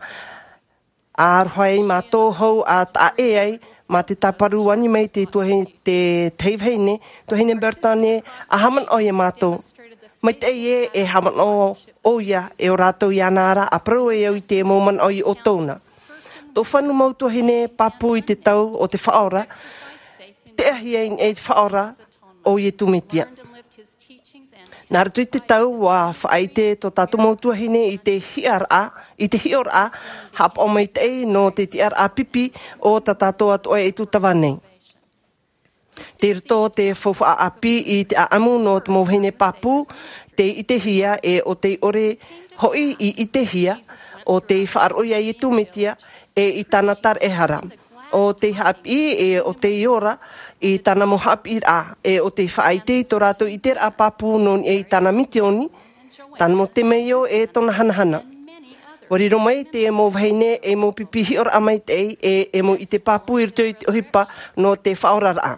ʻa aroha ai mātou hou ʻa taʻa ʻē ai, mā te tāparu ani mai te tuahine, te tahi vahine, tuahine Bertone, ʻa haʻamanaʻo iā mātou. Maitaʻi ē, e haʻamanaʻo ʻoia, e ʻo rātou iāna ra, ʻa parau ai au i te mau manaʻo i ʻoutou na. Tō fanu mau tuahine pāpū i te tau o te Faʻaora, te ʻahiʻahi i te Faʻaora, ʻo Iesu Mesia. Nā roto i te tau, ʻua faʻaʻite tō tātou mau tuahine i te hiʻoraʻa, i te hiʻoraʻa, haʻapaʻo maitaʻi nō te tiʻaraʻa pipi o tā tātou atoʻa e tūtava nei. Tei roto te faufaʻa ʻāpī i te ʻāʻamu nō te mau vahine pāpū, tei ʻitehia e ʻo tei ʻore hoʻi i ʻitehia, ʻo tei faʻaroʻo iā Iesu Mesia, e i tāna taraehara. ʻO tei haʻapiʻi, e ʻo tei ora, i tāna mau haʻapiʻiraʻa, e ʻo tei faʻaʻite i tō rātou ʻiteraʻa pāpū nō niʻa i tāna misioni, tāna mau temeio e tōna hanahana. ʻUa riro mai te mau vahine e mau pipi hiʻoraʻa maitaʻi e, e mau ʻite pāpū i roto i te ʻohipa nō te faʻaoraraʻa.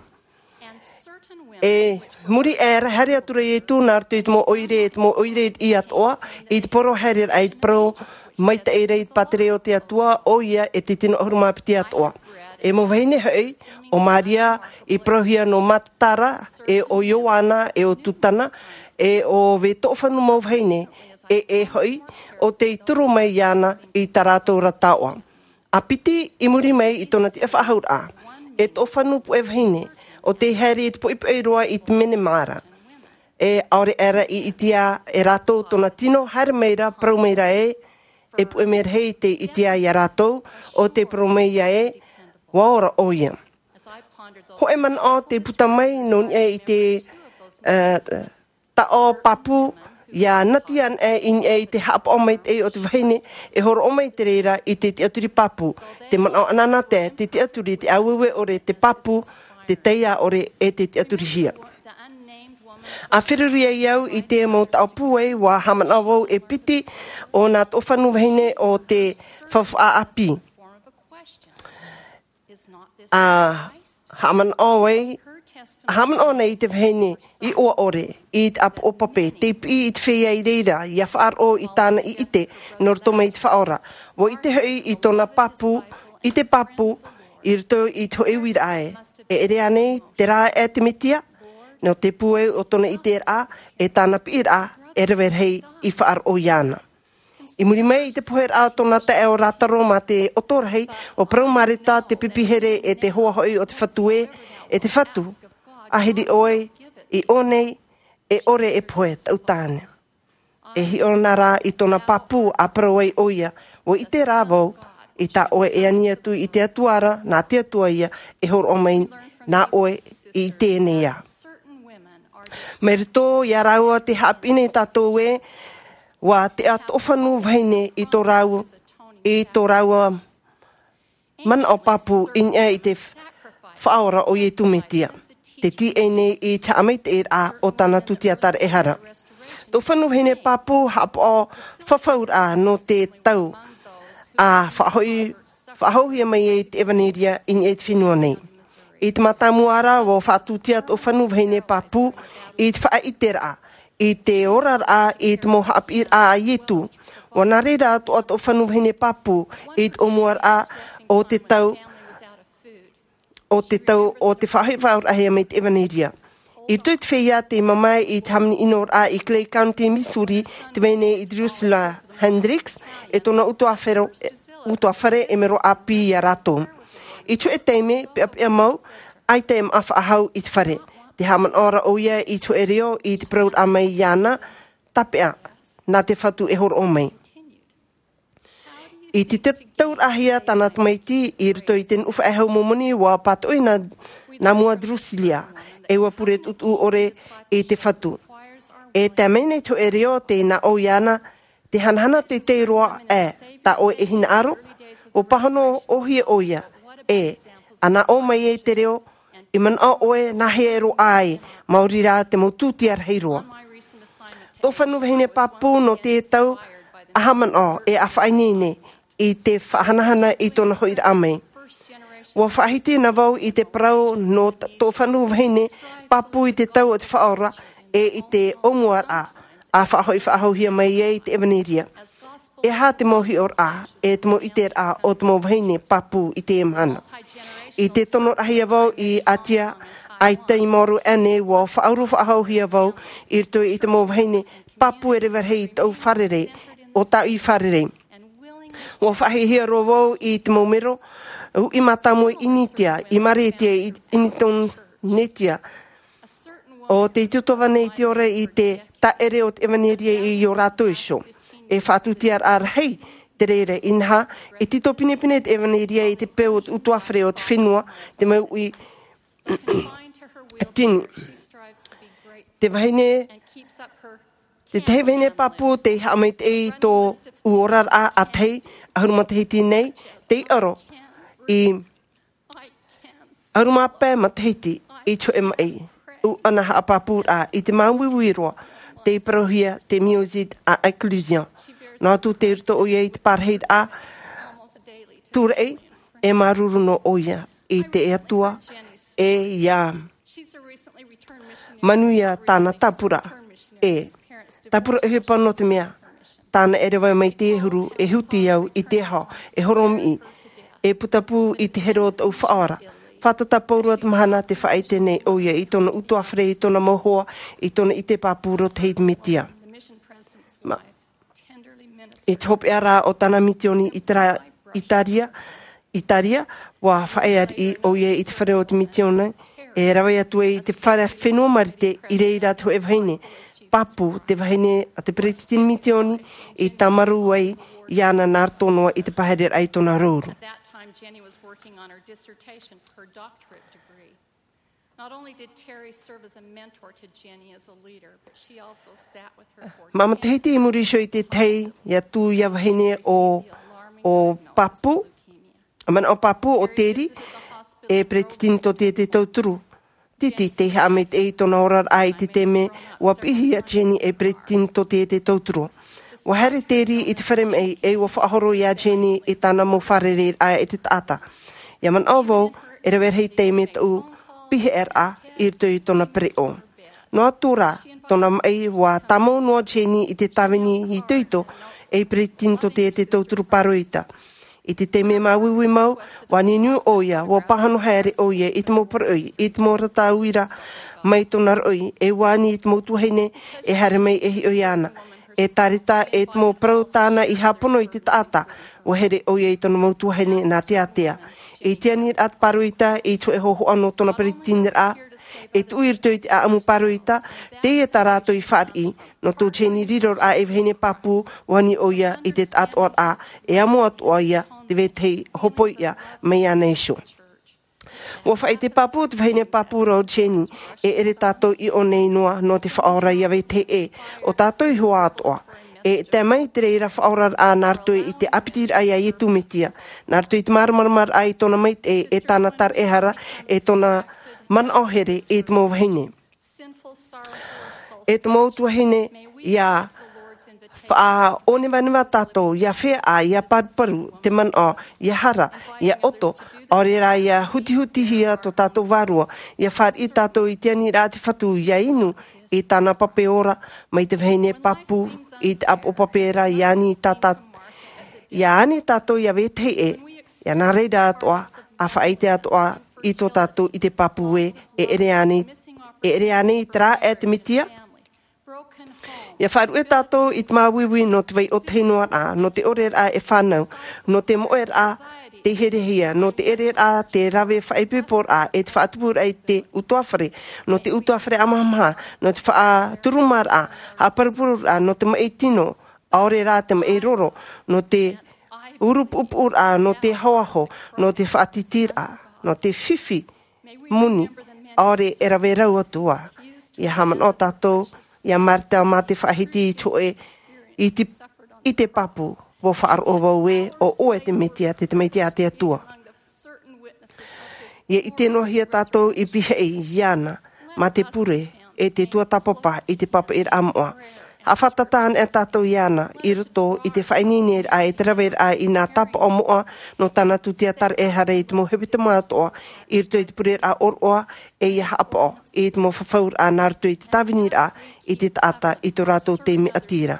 E muri aʻe ra, haere atu ra Iesu nā roto i te mau ʻoire, e te mau ʻoire i atoʻa, i te poro haereraʻa i te parau maitaʻi ra i te pātireia o te Atua, ʻoia e te tino ʻahuru mā piti atoʻa. E mau vahine hoʻi, ʻo Maria i parauhia nō Matatara, e ʻo Ioana, e ʻo Tutana, e ʻo Vetoʻofanu mau vahine, e, e hoʻi, ʻo tei turu mai iāna i tā rātou ra taoʻa. ʻA piti i muri mai i tōna tiʻafaʻahouraʻa, e toʻofanu puʻe vahine, ʻo tei haere i te poʻipoʻi roa i te menemā ra. E ʻaore aʻe ra i ʻitea e rātou tōna tino, haere mai ra, parau mai ra ē, e puʻe mea rahi tei ʻitea iā rātou, ʻo tei parau mai ē, ʻua ora ʻoia. Hōʻē manaʻo tei puta mai nō niʻa i te, ā, taʻo pāpū, ʻia nati ana i niʻa i te haʻapaʻo maitaʻi o te vahine, e hōroʻa mai te reira i te tiʻaturi pāpū, te manaʻo anaanatae, te tiʻaturi, te ʻāueue ʻore, te pāpū, te taiā ʻore, e te tiʻaturihia. ʻA feruri ai au i te mau taʻo pūai, ʻua haʻamanaʻo vau e piti o nā toʻofanu vahine o te faufaʻa ʻāpī. ʻA haʻamanaʻo ai, ʻa haʻamanaʻo nei i te vahine iʻoa ʻore, i te ʻāpoʻo pape, tei piʻi i te feiā i reira, ʻia faʻaroʻo i tāna i ʻite, nō roto mai i te Faʻaora. ʻUa ʻite hoʻi i tōna pāpū, i te pāpū, i roto i te hōʻē uiraʻa ē. E ʻere ānei, terā ē te Mesia, nō te pūai o tōna ʻiteraʻa, e tāna piʻiraʻa, e rave rahi i faʻaroʻo iāna. I muri mai i te poheraʻa o tōna taeaʻe o Lātaro mā te ʻoto rahi, ʻua parau Mareta te pipi here e te hoa hoʻi o te Fatu ē, e te Fatu, ʻahiri ʻoe i ʻō nei, e ʻore e pohe, taʻu tāne. E hiʻo na rā i tōna pāpū ʻa parau ai ʻoia, ʻua ʻite rā vau, i tā ʻoe e ani atu i te Atua ra, nā te Atua ïa, e hōroʻa mai nā ʻoe i teie nei ā. Mai roto iā rāua tē haʻapiʻi nei tātou ē, ʻua teʻa toʻofanu vahine i tō rāua, i tō rāua manaʻo pāpū i niʻa i te Faʻaora ʻo Iesu Mesia. Te tīaʻi nei i te haʻamaitaʻiraʻa o tāna tūtia taraehara. Toʻofanu vahine pāpū haʻapaʻo fafauraʻa nō te tau, ʻa faʻahoʻi, faʻahouhia mai ai te ʻevaneria i niʻa i te fenua nei. I te mātāmua ra, ʻua faʻatūtia toʻofanu vahine pāpū i te faʻaʻiteraʻa, i te oraraʻa, i te mau haʻapiʻiraʻa a Iesu. ʻUa nā reira atoʻa toʻofanu vahine pāpū i te ʻōmuaraʻa o te tau, o te tau o te faʻahoʻi faʻaorahia mai te ʻevaneria. I roto i te feiā tei mamae i te hāmani ʻinoraʻa i Clay County, Missouri, tē vai nei i Drusilla Hendricks, e tōna ʻutuāfare, ʻutuāfare e mero ʻāpī iā rātou. I te hōʻē taime, peʻapeʻa mau, ʻaita e māʻa faʻahou i te fare. Tē haʻamanaʻo ra ʻoia i te hōʻē reo i te parauraʻa mai iāna, tāpeʻa, nā te Fatu e hōroʻa mai. I te te-, tauraʻahia tāna tamaiti i roto i te nuʻu faʻehau momoni, ʻua pātoʻi nā, nā mua Drusilla, e ʻua pure tuʻutuʻu ʻore i te Fatu. E tae mai nei te hōʻē reo, tē nā ʻō iāna, te hanahana teitei roa ē, tā ʻoe e hinaʻaro, ʻua pāhono ʻōhie ʻoia, e, ʻa nā ʻō mai ai te reo, I manaʻo ʻoe nā hea e roaʻa ai, maori rā te mau tūtia rahi roa. Tō fanu vahine pāpū nō te tau ʻaha manaʻo e ʻa faʻaineine i te faʻahanahana i tōna hoʻiraʻa mai. Ua faʻahiti na vau i te parau nō tō fanu vahine pāpū i te tau o te faʻaora e i te ʻōmuaraʻa a faʻahoʻi faʻahouhia mai ai te evanelia. E aha te mau hiʻoraʻa e te mau ʻiteraʻa o te mau vahine pāpū i te mahana? I te tonoraʻa ia vau i atia ai tai maoro ʻanei ua faʻauru faʻahouhia vau i roto i te mau vahine pāpū e reva rahi i tau fārerei o tau i fārerei. Ua faʻahiahia roa vau i te mau mero uʻi mātāmua i initia i maretia i initonetia o te tutuva nei te ora i te taʻere o te evanelia i ō rātou iho. E faʻatūtiaraʻa rahi te reira inaha e tito pinepine te evanelia i te peu o te utuafare o te fenua te mau uʻi tini. Te vahine te tahi vahine pāpū te haʻamaitaʻi i tō ʻuoraraʻa ʻātahi ʻahuru matahiti nei te iʻaro i ʻahuru mā pae matahiti i te hoʻe maʻi ʻu ana haʻapāpūraʻa i te māuiui roa tei parauhia te miozit a inclusion. Nō atu te roto ʻoia i te pārahiraʻa tūraʻi e māuruuru nō ʻoia i te atua e ia manuia tāna tāpura e tāpura ʻohipa nō te mea tāna e reva mai te huru e huti au i te aho e horomiʻi e putapū i te here o tau faʻaora. Fātata pauroa te mahana te faʻaite nei ʻoia i tōna utuafare i tōna mau hoa i tōna ʻite pāpū roto i te metia. I te hopeʻa rā o tāna mitioni i tara itaria itaria ua faʻaeariʻi ʻoia i te fare o te mitioni e rave atu ai i te fare fenua marite i reira te hoʻe vahine pāpū te vahine a te peretiteni mitioni i tāmarū ai iāna nā roto noa i te pahereraʻa i tōna rouru. Not only did Terry serve as a mentor to Jenny as a leader, but she also sat with her for mā matahiti i muri iho i te tahi ia tū ia vahine o o pāpū manaʻo pāpū o teri e peretiteni tō te te tauturu titi te haʻamaitaʻi i tōna oraraʻa i te teme ua piʻihia Jenny e peretiteni tō te te tauturu. Ua haere teri i te fare maʻi e ua faʻahoro iā Jenny i tāna mau fārereiraʻa i te taʻata. Ia manaʻo vau e rave rahi tei me tau pihaʻeraʻa i roto i tōna pereʻo. Noa atu rā tōna maʻi ua tāmau noa Jenny i te tāvini itoito e peretiteni tō te te tauturu pāroita. I te teme māuiui mau ua niniu ʻoia ua pāhono haere ʻoia i te mau paraʻoi i te mau rata uira mai tōna raʻoi e ua ani i te mau tuahine e haere mai e hiʻo iāna e tāreta e te mau parau tāna i hāpono i te taʻata. Ua here ʻoia i tōna mau tuahine nā te ātea i te aniraʻa te pāroita i te hoʻe hohoʻa nō tōna peretiteniraʻa e tuʻu i roto i te ʻaʻamu pāroita. Teie tā rātou i fāriʻi nō tō Jenny riroraʻa e vahine pāpū ua ani ʻoia i te taʻatoʻaraʻa e amo atu ʻoia te vetahi hopoiʻa mai ana iho. Ua faʻaite pāpū te vahine pāpū rā o Jenny e ʻere tātou i ʻō nei noa nō te faʻaora ia vetahi ʻē o tātou i hoa atoʻa. E tae mai te reira faʻaoraraʻa nā roto i te ʻāpitiraʻa iā Iesu Mesia nā roto i te māramaramaraʻa i tōna maitaʻi e tāna taraʻehara e tōna manaʻo here i te mau vahine. E te mau tuahine ia faʻaʻōnevaneva tātou ia feaʻa ia paruparu te manaʻo ia hara ia ʻoto ʻaore rā ia hutihutihia tō tātou vārua ia fāriʻi tātou i te aniraʻa te fatu ia inu i tāna pape ora mai te vahine pāpū i te ʻāpoʻo pape ra ia ani tātā ia ani tātou ia vetahi ʻē ia nā reira atoʻa a faʻaite atoʻa i tō tātou i te pāpū ē e ʻere anei e ʻere anei i te rā e te metia. Ia faʻaruʻe tātou i te māuiui nō te vai ʻōtahi noa rā nō te ʻoreraʻa e fānau nō te moʻeraʻa te herehia nō te ʻereraʻa te rave faʻaipoiporaʻa e te faʻatupuraʻa i te utuafare nō te utuafare ʻamahamaha nō te faʻaturumaraʻa haʻaparupururaʻa nō te maʻi tino ʻaore rā te maʻi roro nō te urupuʻupuʻuraʻa nō te ahoaho nō te faʻatitiraʻa nō te fifi moni ʻaore e rave rau atu ā. Ia haʻamanaʻo tātou ia marita mā te faʻahiti i te hoʻe i te i te pāpū ua faʻaroʻo vau ē o ʻoe te mesia te tamaiti a te atua. Ia ʻite noa hia tātou i pihaʻi iāna mā te pure e te tuatāpapa i te pāpaʻiraʻa moʻa. Haʻafātata anaʻe tātou iāna i roto i te faʻaineineraʻa e te raveraʻa i nā tāpaʻo moʻa nō tāna tūtia taraehara i te mau hepetoma atoʻa, i roto i te pureraʻa ʻōroʻa, e ia haʻapaʻo i te mau fafauraʻa nā roto i te tāviniraʻa i te taʻata i tō rātou taime ʻati ra.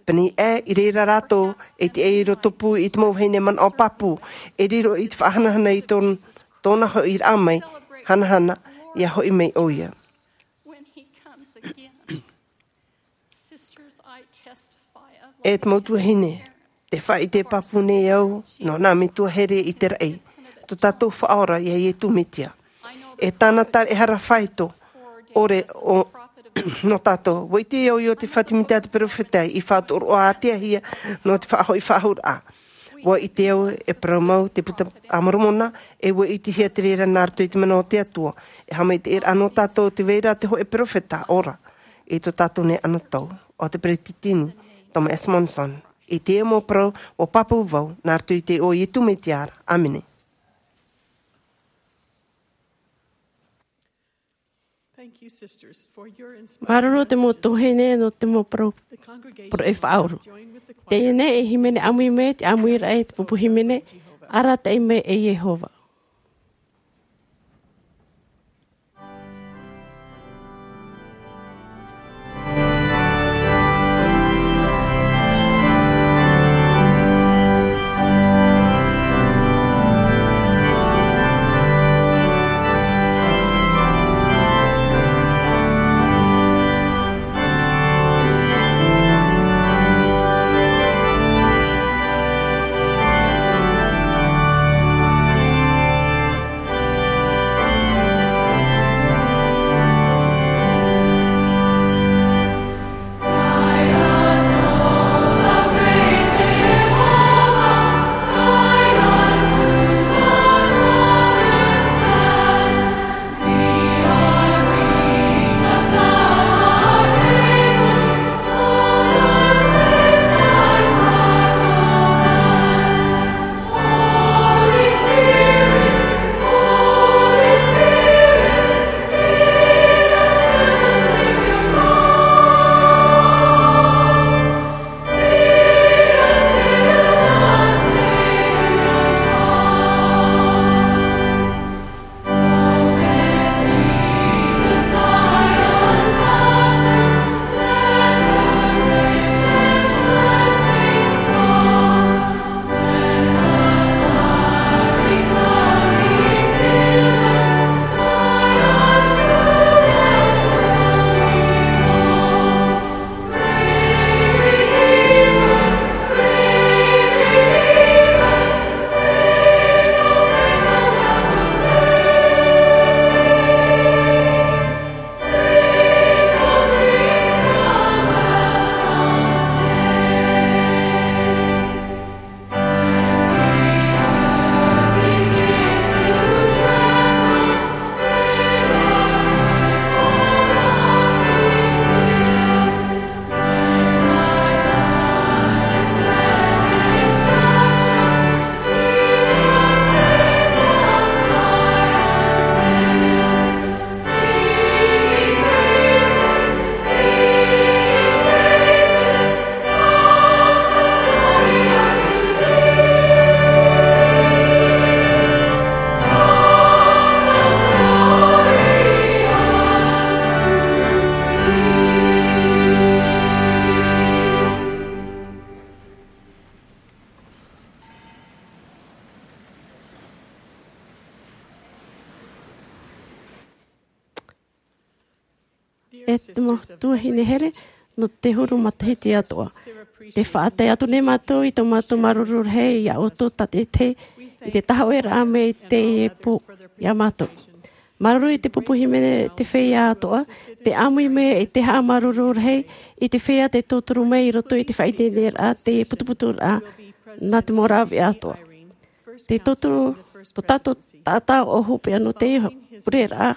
Pēnei ē, i reira rātou e tiʻa i roto pū i te mau vahine manaʻo pāpū, e riro i te faʻahanahana i tōn-, tōna hoʻiraʻa mai, hanahana, ia hoʻi mai ʻoia. When he comes again. Sisters, I testify of E te mau tuahine, tē faʻaʻite pāpū nei au nō nā metua here i te raʻi, tō tātou Faʻaora iā Iesu Mesia. E tāna taraehara faito ʻore o, nō tātou. ʻUa ʻite au i ʻō te fatimita a te perofeta i faʻatoroʻa ātea hia nō te faʻahoʻi faʻahou ra. ʻUa ʻite au e parau mau te Puta a Moromona, e ʻua ʻitehia te reira nā roto i te mana o te Atua. E haʻamaitaʻiraʻa nō tātou tē vai ra te hōʻē perofeta ora i tō tātou nei anotau, ʻo te Peretiteni Thomas S. Monson. I teie mau parau, ʻua pāpū vau nā roto i te iʻoa o Iesu Mesia ra. ʻĀmene. Thank you, sisters, for your inspiration. Māuruuru te mau tuahine nō te mau parau, parau e faʻauru. Teie nei e hīmene ʻāmui mai, te ʻāmuiraʻa e te pupu hīmene, Arataʻi mai e Iehova. E te mau tuahine here, nō te huru matahiti atoʻa. Tē faʻatae atu nei mātou i tō mātou māuruuru rahi iā ʻoutou tātaʻitahi i te tahoʻeraʻa mai i teie pō iā mātou. Māuruuru i te pupu hīmene, te feiā atoʻa, tē ʻāmui mai i te haʻamāuruuru rahi i te feiā tē tauturu mai i roto i te faʻaineineraʻa, te putuputuraʻa nā te mau rāveʻa atoʻa. Te tauturu, tō tātou taʻata ʻo hopeʻa nō te pureraʻa,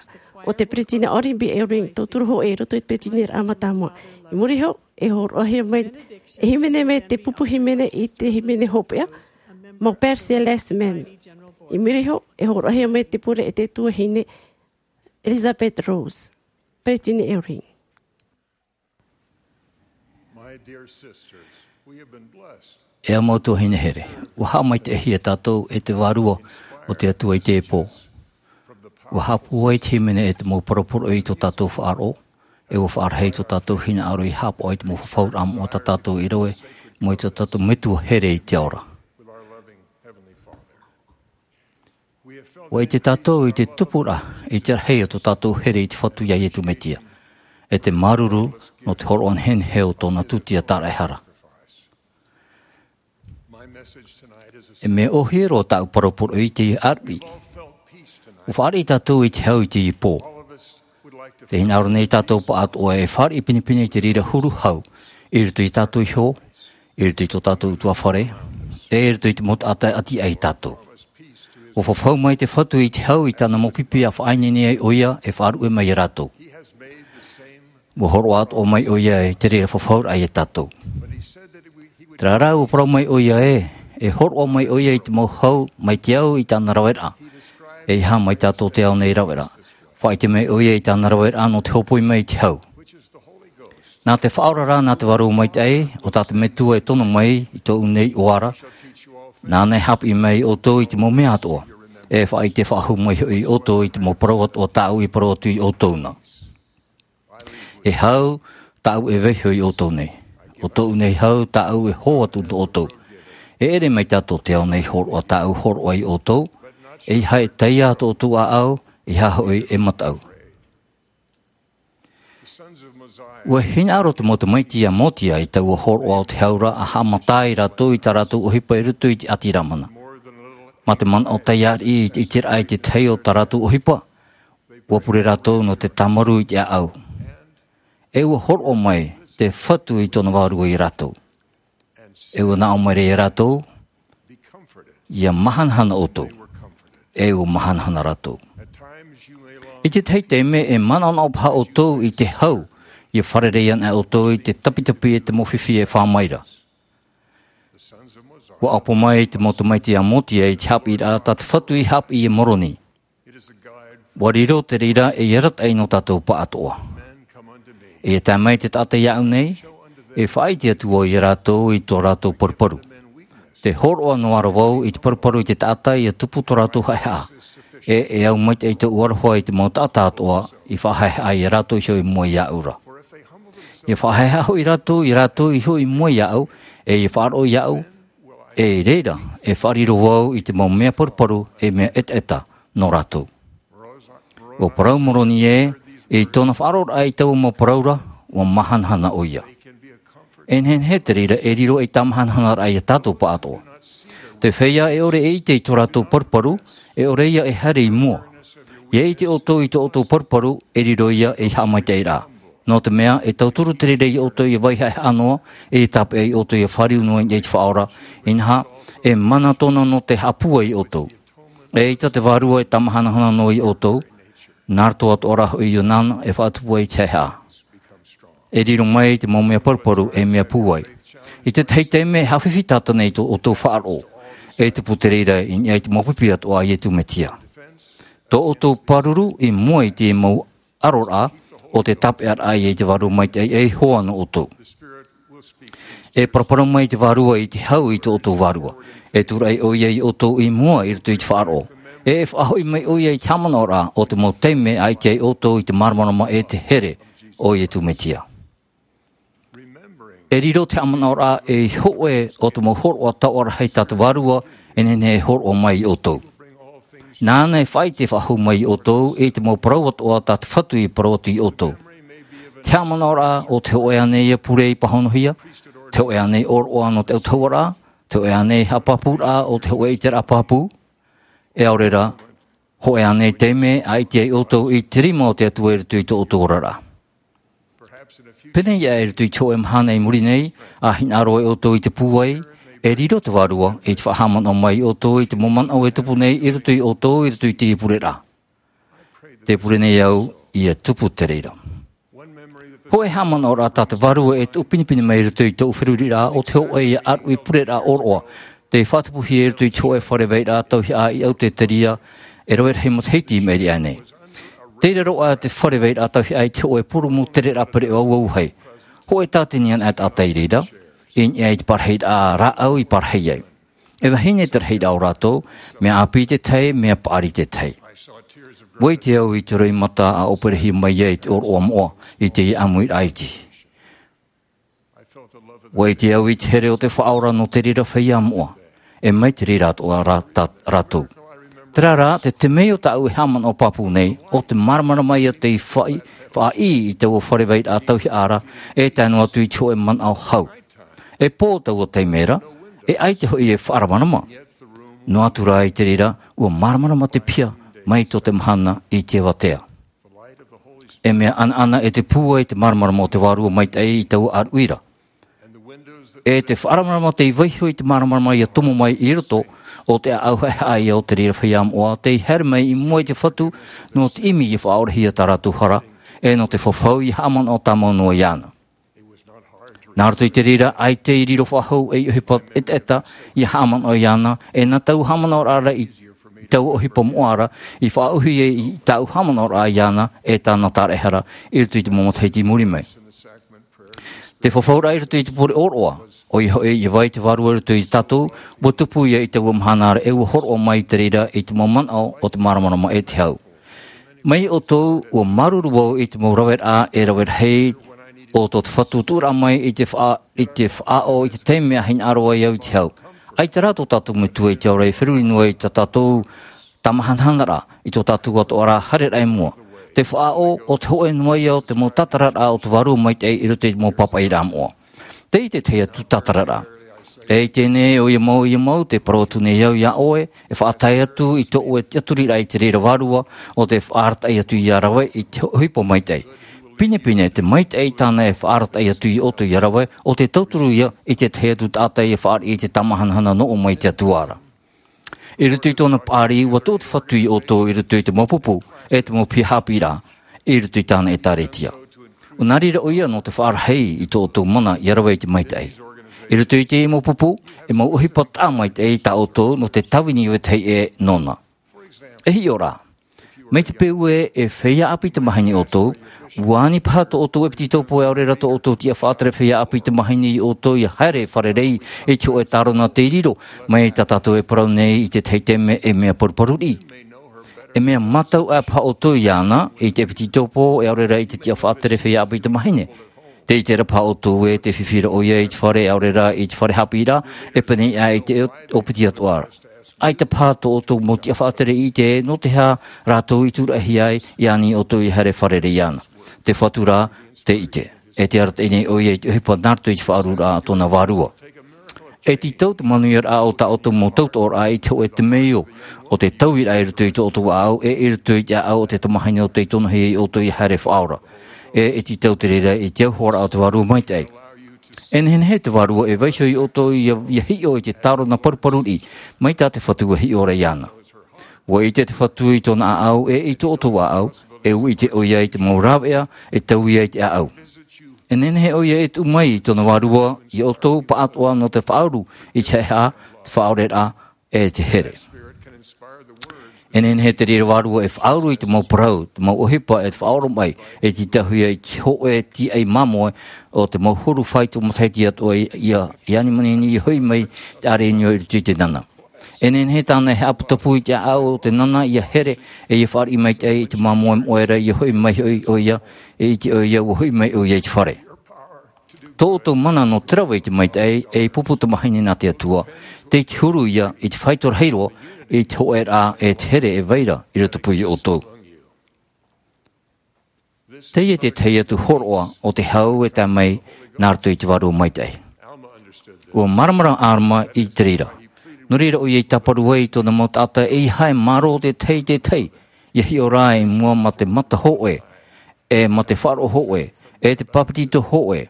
ʻo te Peresideni Gordon B. Hinckley, tauturu hōʻē i roto i te peresideniraʻa mātāmua. I muri iho, e hōroʻahia mai, e hīmene mai te pupu hīmene i te hīmene hopeʻa, mau Père Céleste Même. I muri iho, e hōroʻahia mai te pure e te tuahine Elizabeth Rose, Peretiteni Eyring. My dear sisters, we have been blessed. E au mau tuahine here, ua haʻamaitaʻihia tātou e te Vārua o te Atua i teie pō. Ua haʻapūai te hīmene e te mau paraparauraʻa i tō tātou faʻaroʻo, e ua faʻarahi tō tātou hinaʻaro i haʻapaʻo i te mau fafauraʻa moʻa tā tātou i rave, mai tō tātou Metua here i te ao ra. Ua ʻite tātou i te tupuraʻa, i te rahi o tō tātou here i te Fatu iā Iesu Mesia, e te māuruuru nō te hōroʻa nehenehe o tōna tūtia tāraʻehara. E mea ʻōhie roa tāʻu paraparauraʻa i te ʻāruʻi. Ua fāriʻi tātou i te hau i teie pō. Tē hinaʻaro nei tātou pāʻātoʻa e fāriʻi pinepine i te reira huru hau, i roto iā tātou iho, i roto i tō tātou ʻutuāfare, e i roto i te mau taʻata e ʻati aʻe iā tātou. Ua fafau mai te Fatu i te hau i tāna mau pipi ʻa faʻaineine ai ʻoia e faʻaruʻe mai iā rātou. Ua hōroʻa atoʻa mai ʻoia i te reira fafauraʻa iā tātou. Terā rā, ua parau mai ʻoia ē, e hōroʻa mai ʻoia i te mau hau mai te au i tāna raveraʻa. ʻEiaha mai tā tō te ao nei raveraʻa. Faʻaʻite mai ʻoia i tāna raveraʻa nō te hōpoi mai i te hau. Nā te Faʻaora rā, nā te Vārua Maitaʻi, ʻo tā te Metua e tono mai i tōʻu nei iʻoa ra, nāna e haʻapiʻi mai iā ʻoutou i te mau mea atoʻa. E faʻaʻite faʻahou mai hoʻi ʻoutou i te mau parau atoʻa tāʻu i parau atu iā ʻoutou na. E hau tāʻu e vaiiho iā ʻoutou nei. ʻO tōʻu nei hau tāʻu e hō atu nō ʻoutou. E ʻere mai tā tō te ao nei hōroʻa tāʻu hōroʻa iā ʻoutou, ʻeiaha e taiā tō ʻoutou ʻāʻau, ʻeiaha hoʻi e mataʻu. Ua hinaʻaro te mau tamaiti a Mosia i taua hōroʻa o te hau ra ʻa haʻamata ai rātou i tā rātou ʻohipa i roto i te ʻāti Lamana. Mā te manaʻo taiā riʻi i te ʻiteraʻa i te tahi o tā rātou ʻohipa, ua pure rātou nō te tāmarū i te ʻāʻau. E ua hōroʻa mai te Fatu i tōna Vārua iā rātou. E ua nā ʻō mai ra iā rātou, ʻia mahanahana ʻoutou. E ua mahanahana rātou. I te tahi taime e manaʻonaʻo paha ʻoutou i te hau, ʻia fārerei ana ʻoutou i te tapitapi e te mau fifi e fā mai ra. Ua ʻapo mai te mau tamaiti a Mosia i te haʻapiʻiraʻa tā te Fatu i haʻapiʻi iā Moroni. Ua riro te reira ei arataʻi nō tātou pāʻātoʻa. E tae mai te taʻata iāʻu nei, e faʻaʻite atu vau iā rātou i tō rātou paruparu. Te hōroʻa noa ra vau i te paruparu i te taʻata ʻia tupu tō rātou haʻehaʻa. E, e au maitaʻi tōʻu aroha i te mau taʻata atoʻa i faʻahaʻehaʻa iā rātou iho i mua iāʻu ra. ʻIa faʻahaʻehaʻa hoʻi rātou, iā rātou iho i mua iāʻu, e ʻia faʻaroʻo iāʻu, e i reira, e faʻariro vau i te mau mea paruparu, e mea ʻetaʻeta nō rātou. ʻUa parau Moroni ē, i tōna faʻaroʻoraʻa i taua mau parau ra, ʻua mahanahana ʻoia. E nehenehe te reira e riro ei tāmahanahanaraʻa iā tātou pāʻātoʻa. Te feiā e ʻore e ʻite i tō rātou paruparu, e ʻore ia e haere i mua. ʻIa ʻite ʻoutou i tō ʻoutou paruparu, e riro ia ei haʻamaitaʻiraʻa. Nō te mea, e tauturu te reira iā ʻoutou ʻia vai haʻehaʻa noa, e tāpeʻa iā ʻoutou ʻia fāriu noa i niʻa i te Faʻaora, inaha, e mana tōna nō te haʻapūai iā ʻoutou. ʻEita te Vārua e tāmahanahana noa iā ʻoutou, nā roto atoʻa rā hoʻi ʻo nāna e faʻatupu ai i te haʻehaʻa. E riro mai te mau mea paruparu ei mea pūai. I te tahi taime e haʻafifi tātana i tō ʻoutou faʻaroʻo. E tupu te reira i niʻa i te mau pipi atoʻa a Iesu Mesia. Tō ʻoutou pāruru i mua i te mau aroraʻa o te tāpeʻaraʻa i te Vārua Maitaʻi ei hoa nō ʻoutou. E paraparau mai te Vārua i te hau i tō ʻoutou vārua. E tūraʻi ʻoia iā ʻoutou i mua i roto i te faʻaroʻo. E faʻahoʻi mai ʻoia i te haʻamanaʻoraʻa o te mau taime ʻa ʻite ai ʻoutou i te māramarama e te here o Iesu Mesia. E riro te haʻamanaʻoraʻa ei hōʻē o te mau hōroʻa taoʻa rahi tā te Vārua e nehenehe e hōroʻa mai iā ʻoutou. Nāna e faʻaʻite faʻahou mai iā ʻoutou i te mau parau atoʻa tā te Fatu i parau atu iā ʻoutou. Te haʻamanaʻoraʻa o te hōʻē ānei ia pure i pāhonohia, te hōʻē ānei ʻōroʻa nō te autahuʻaraʻa, te hōʻē ānei haʻapāpūraʻa o te hōʻē ʻiteraʻa pāpū, e ʻaore rā, hōʻē ānei taime ʻa ʻite ai ʻoutou i te rima o te Atua i roto i tō ʻoutou oraraʻa. Pēneiaʻe i roto i te hōʻē mahana i muri nei, ʻa hinaʻaro ai ʻoutou i te pūai, e riro te Vārua i te faʻahaʻamanaʻo mai iā ʻoutou i te mau manaʻo e tupu nei i roto iā ʻoutou i roto i te pureraʻa. Tē pure nei au ʻia tupu te reira. Hōʻē haʻamanaʻoraʻa tā te Vārua e tuʻu pinepine mai i roto i tōʻu feruriraʻa o te hōʻē ia ʻāruʻi pureraʻa ʻōroʻa, Tei faʻatupuhia i roto i te hōʻē fare vairaʻa tauihaʻa i Autēteria, e rave rahi matahiti i maʻiri aʻe nei. Tei raro aʻe te fare vairaʻa tauihaʻa i te hōʻē purūmu tereraʻa pereʻoʻo auahi. Hōʻē tātini anaʻe taʻata i reira, i niʻa i te parahiraʻa rāʻau i parahi ai. E vahine te rahiraʻa o rātou, mea ʻāpī te tahi, mea paʻari te tahi. ʻUa ʻite au i te roimata a ʻōperahia mai ai te ʻōroʻa moʻa i teie ʻāmuiraʻa iti. ʻUa ʻite au i te here o te Faʻaora nō te reira feiā moʻa, e mai te reira atoʻa rā-, tā-, rātou. Terā rā, te temeio tāʻu e haʻamanaʻo pāpū nei, ʻo te māramarama ia tei faʻi-, faʻaʻī i taua fare vairaʻa tauihaʻa ra, e tae noa atu i te hōʻē manaʻo hau. E pō taua taime ra, e ʻaita hoʻi e faʻaramarama. Noa atu rā i te reira, ʻua māramarama te piha, mai tō te mahana i te avatea. E mea ʻanaʻana e te pūai te māramarama o te Vārua Maitaʻi i taua ʻāruʻi ra. E te faʻaramarama tei vaiho i te māramarama ia tomo mai i roto o te ʻāʻau haʻehaʻa ia o te reira feiā moʻa, tei haere mai i mua i te Fatu, nō te ʻimi ia faʻaorahia tā rātou hara, e nō te fafau ia haʻamanaʻo tāmau noa iāna. Nā roto i te reira, ʻaita i riro faʻahou ei ʻohipa ʻetaʻeta ia haʻamanaʻo iāna, e nā taua haʻamanaʻoraʻa ra i taua ʻohipa moʻa ra, i faʻaʻuhi ai i tāʻu haʻamanaʻoraʻa iāna, e tāna taraehara, i roto i te mau matahiti i muri mai. Te fafauraʻa i roto i te pure ʻōroʻa, ʻoia hoʻi, ʻia vai te Vārua i roto ia tātou, ʻua tupu ia i taua mahana ra, e ʻua hōroʻa mai te reira i te mau manaʻo o te māramarama e te hau. Mai ʻoutou, ʻua māuruuru vau i te mau raveraʻa e rave rahi o tō te Fatu tuʻuraʻa mai i te faʻa-, i te faʻaʻo, i te taime a hinaʻaro ai au i te hau. ʻAita rā tō tātou Metua i te ao ra e feruri noa i tā tātou tāmahanahanaraʻa, i tō tātou atoʻa rā haereraʻa i mua. Te faʻaʻo, ʻo te hōʻē noa ia o te mau tātararaʻa o te Vārua Maitaʻi i roto i te mau pāpaʻiraʻa moʻa. Tei te tahi atu tātararaʻa. E ʻite nei ʻoia mau, ʻoia mau, tē parau atu nei au iā ʻoe, e faʻatae atu i tō ʻoe tiʻaturiraʻa i te reira vārua, ʻo tē faʻaarataʻi atu ia rave i te ʻohipa maitaʻi. Pinepine te maitaʻi tāna e faʻaarataʻi atu iā ʻoutou ia rave, ʻo tē tauturu ia i te tahi atu taʻata ia fāriʻi i te tāmahanahana nō ʻō mai te Atua ra. I roto i tōna paʻari, ʻua toʻo te Fatu iā ʻoutou i roto i te mau pupu, e te mau piha haʻapiʻiraʻa, i roto i tāna ʻētāretia. ʻUa nā reira ʻoia nō te faʻarahi i tō ʻoutou mana ia rave i te maitaʻi. I roto i teie mau pupu, e mau ʻohipa taʻa maitaʻi tā ʻoutou nō te tāvini vetahi ʻē nōna. E hiʻo rā, mai te peu ē, e feiā ʻāpī tamāhine ʻoutou, ʻua ani paha tō ʻoutou ʻepetitopo e ʻaore rā tō ʻoutou tiʻa faʻatere feiā ʻāpī tamāhine iā ʻoutou ia haere fārerei i te hōʻē tārona tei riro, mai tā tātou e parau nei i te tahi taime ei mea paruparu riʻi. E mea mātau aʻe paha ʻoutou iāna, i te ʻepetitopo e ʻaore rā i te tiʻa faʻatere feiā ʻāpī tamāhine. Tē ʻite ra paha ʻoutou ē, tē fifi ra ʻoia i te fare e ʻaore rā i te fare haʻapiʻiraʻa, e pēneiaʻe i te ʻōpiti atoʻa ra. ʻAita paha tō ʻoutou mau tiʻa faʻatere i ʻite nō te aha rātou i tūraʻihia ai, i ani ʻoutou ia haere fārerei iāna. Te Fatu rā, tē ʻite. E tē arataʻi nei ʻoia i te ʻohipa nā roto i te faʻaururaʻa a tōna vārua. E tītau te manuiaraʻa o tā ʻoutou mau tautoʻoraʻa i te hōʻē temeio, ʻo te tauiraʻa i roto i tō ʻoutou ʻāʻau, e i roto i te ʻāʻau o te tamāhine ʻo tei tonohia iā ʻoutou ia haere faʻaora. E, e tītau te reira i te auhoaraʻa o te Vārua Maitaʻi. E nehenehe te Vārua e vaiho iā ʻoutou ia, ia hiʻo i te tārona paruparu riʻi, mai tā te Fatu e hiʻo ra iāna. ʻUa ʻite te Fatu i tōna ʻāʻau, e i tō ʻoutou ʻāʻau, e ʻua ʻite ʻoia i te mau rāveʻa e taui ai te ʻāʻau. E nehenehe ʻoia e tuʻu mai i tōna vārua iā ʻoutou pāʻatoʻa nō te faʻauru i te haʻehaʻa, te faʻaoreraʻa, e te here. E nehenehe te reira vārua e faʻauru i te mau parau, te mau ʻohipa e te faʻaoromaʻi, e tītauhia i te hōʻē tīaʻi māmoe o te mau huru faito matahiti atoʻa ia, ia ani manihini ia hoʻi mai te ʻārenio i roto i te nana. E nehenehe tāna e haʻaputapū i te ʻāʻau o te nana ia here, e ia fāriʻi maitaʻi i te māmoe moʻe ra ia hoʻi mai hoʻi ʻoia, e ʻite ʻoia ʻua hoʻi mai ʻoia i te fare. Tō ʻoutou mana nō te rave i te maitaʻi, ei pupu tamāhine nā te Atua, tei te huru ia i te faito rahi roa, i te hōʻēraʻa e te here e vai ra i rotopū iā ʻoutou. Teie te tahi atu hōroʻa o te hau e tae mai nā roto i te Vārua Maitaʻi. ʻUa māramarama Alama i te reira. Nō reira ʻoia i tāparu ai i tōna mau taʻata ʻeiaha e mārō te tahi i te tahi, ia hiʻo rā i mua mā te mata hōʻē, e mā te faʻaroʻo hōʻē, e te bāpetizo hōʻē,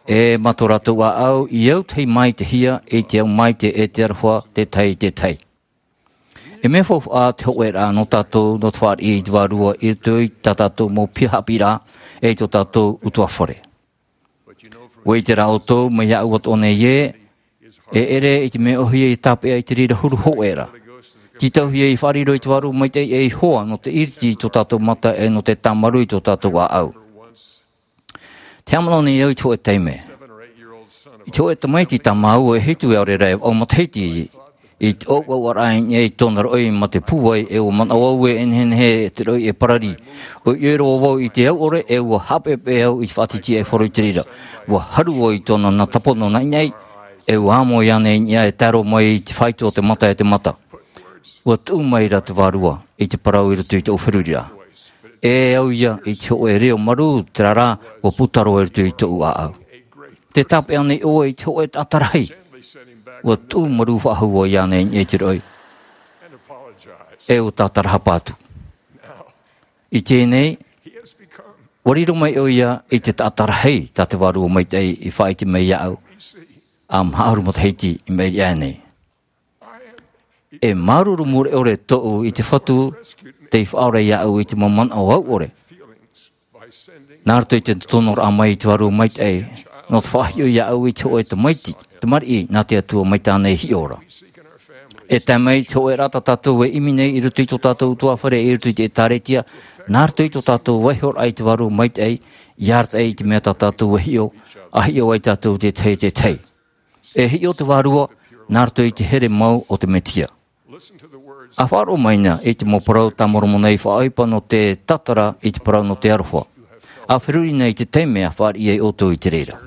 e mā tō rātou ʻāʻau i autahi maitehia i te au maite e te aroha te tahi i te tahi. E mea faufaʻa te hōʻēraʻa nō tātou nō te fāriʻi i te Vārua i roto i tā tātou mau piha haʻapiʻiraʻa, e i tō tātou ʻutuāfare. ʻUa ʻite rā ʻoutou, mai iāʻu atoʻa nei ē, E ʻere i te mea ʻohie e tāpeʻa i te reira huru hōʻē ra. Tītauhia i faʻariro i te Vārua Maitaʻi ei hoa nō te ʻiriti i tō tātou mata e nō te tāmarū i tō tātou ʻāʻau. Te haʻamanaʻo nei au i te hōʻē taime. I te hōʻē tamaiti tā māua e hitu e ʻaore ra e vaʻu matahiti, i te ʻoaʻoaraʻa i niʻa i tōna roʻi mā te pūai, e ʻua manaʻo au e nehenehe e te roʻi e pararī. ʻUa ʻite roa vau i te au ʻore, e ʻua haʻapeʻapeʻa au i te faʻatitiʻaifaro i te reira. ʻUa haru vau i tōna nā tāpono naʻinaʻi, e ʻua amo iāna i niʻa e tae roa mai i te faito o te mata e te mata. ʻUa tuʻu mai ra te Vārua i te parau i roto i tōʻu feruriraʻa. E au ia i te hōʻē reo marū, terā rā, ʻua puta roa i roto i tōʻu ʻāʻau. Tē tāpeʻa nei ʻoe i te hōʻē taʻata rahi. ʻUa tuʻu marū faʻahou vau iāna i niʻa i te roʻi. E ʻua tātarahapa atu. I teie nei, ʻua riro mai ʻoia i te taʻata rahi tā te Vārua Maitaʻi i faʻaʻite mai iāʻu. ʻA maharu matahiti i maʻiri aʻe nei. E māuruuru mure ʻore tōʻu i te Fatu tei faʻaora iāʻu i te mau manaʻo au ʻore. Nā roto i te tonoraʻa mai i te Vārua Maitaʻi, nō te faʻahiʻo iāʻu i te hōʻē tamaiti, tamariʻi nā te Atua mai tāna e hiʻo ra. E tae mai i te hōʻēraʻa tā tātou e ʻimi nei i roto i tō tātou ʻutuāfare, i roto i te ʻĒtārētia, nā roto i tō tātou vaihoraʻa i te Vārua Maitaʻi, ʻia arataʻi i te mea tā tātou e hiʻo, ʻa hiʻo ai tātou te tahi, te tahi. E hiʻo te Vārua, nā roto i te here mau o te Mesia. ʻA faʻaroʻo mai na i te mau parau tā Moromona i faʻaʻohipa nō te tātara i te parau nō te aroha. ʻA feruri na i te taime ʻa fāriʻi ai ʻoutou i te reira.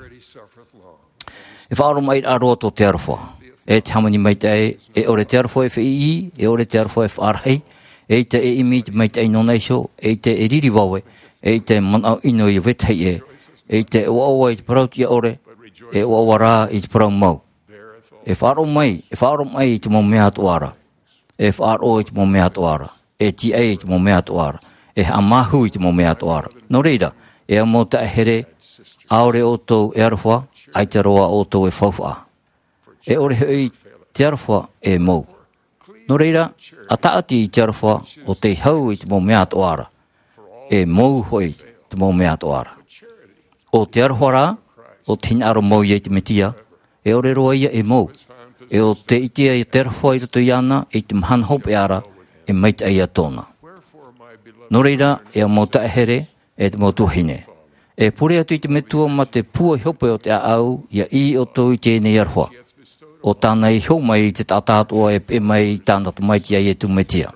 E faʻaroʻo mai roa tō te aroha. E te hāmani maitaʻi, e ʻore te aroha e feʻiʻi, e ʻore te aroha e faʻarahi, eʻita e ʻimi i te maitaʻi nōna iho, eʻita e riri vave, eʻita e manaʻo ʻino i vetahi ʻē, eʻita e ʻoaʻoa i te parau tiʻa ʻore, e ʻoaʻoa rā i te parau mau. E faʻaroʻo mai, e faʻaroʻo mai i te mau mea atoʻa ra. E faʻaroʻo i te mau mea atoʻa ra. E tīaʻi i te mau mea atoʻa ra. E haʻamāuruuru i te mau mea atoʻa ra. Nō reira, e au mau taeaʻe here, ʻaore ʻoutou e aroha, ʻaita roa ʻoutou e faufaʻa. E ʻore hoʻi te aroha e mou. Nō reira, ʻa tāʻati i te aroha ʻo tei hau i te mau mea atoʻa ra. E mou hoʻi te mau mea atoʻa ra. ʻO te aroha rā, ʻo te hinaʻaro mau ia i te Mesia, e ʻore roa ia e mou. E ʻo tē ʻite ai te aroha i roto iāna, i te mahana hopeʻa ra, e maitaʻi ia tōna. Nō reira, e au mau taeaʻe here, e te mau tuahine. E pure atu i te Metua mā te pūai hope o te ʻāʻau, ʻia ʻī ʻoutou i teie nei aroha. ʻO tāna i hō mai i te taʻata atoʻa e peʻe mai i tāna Tamaiti a Iesu Mesia.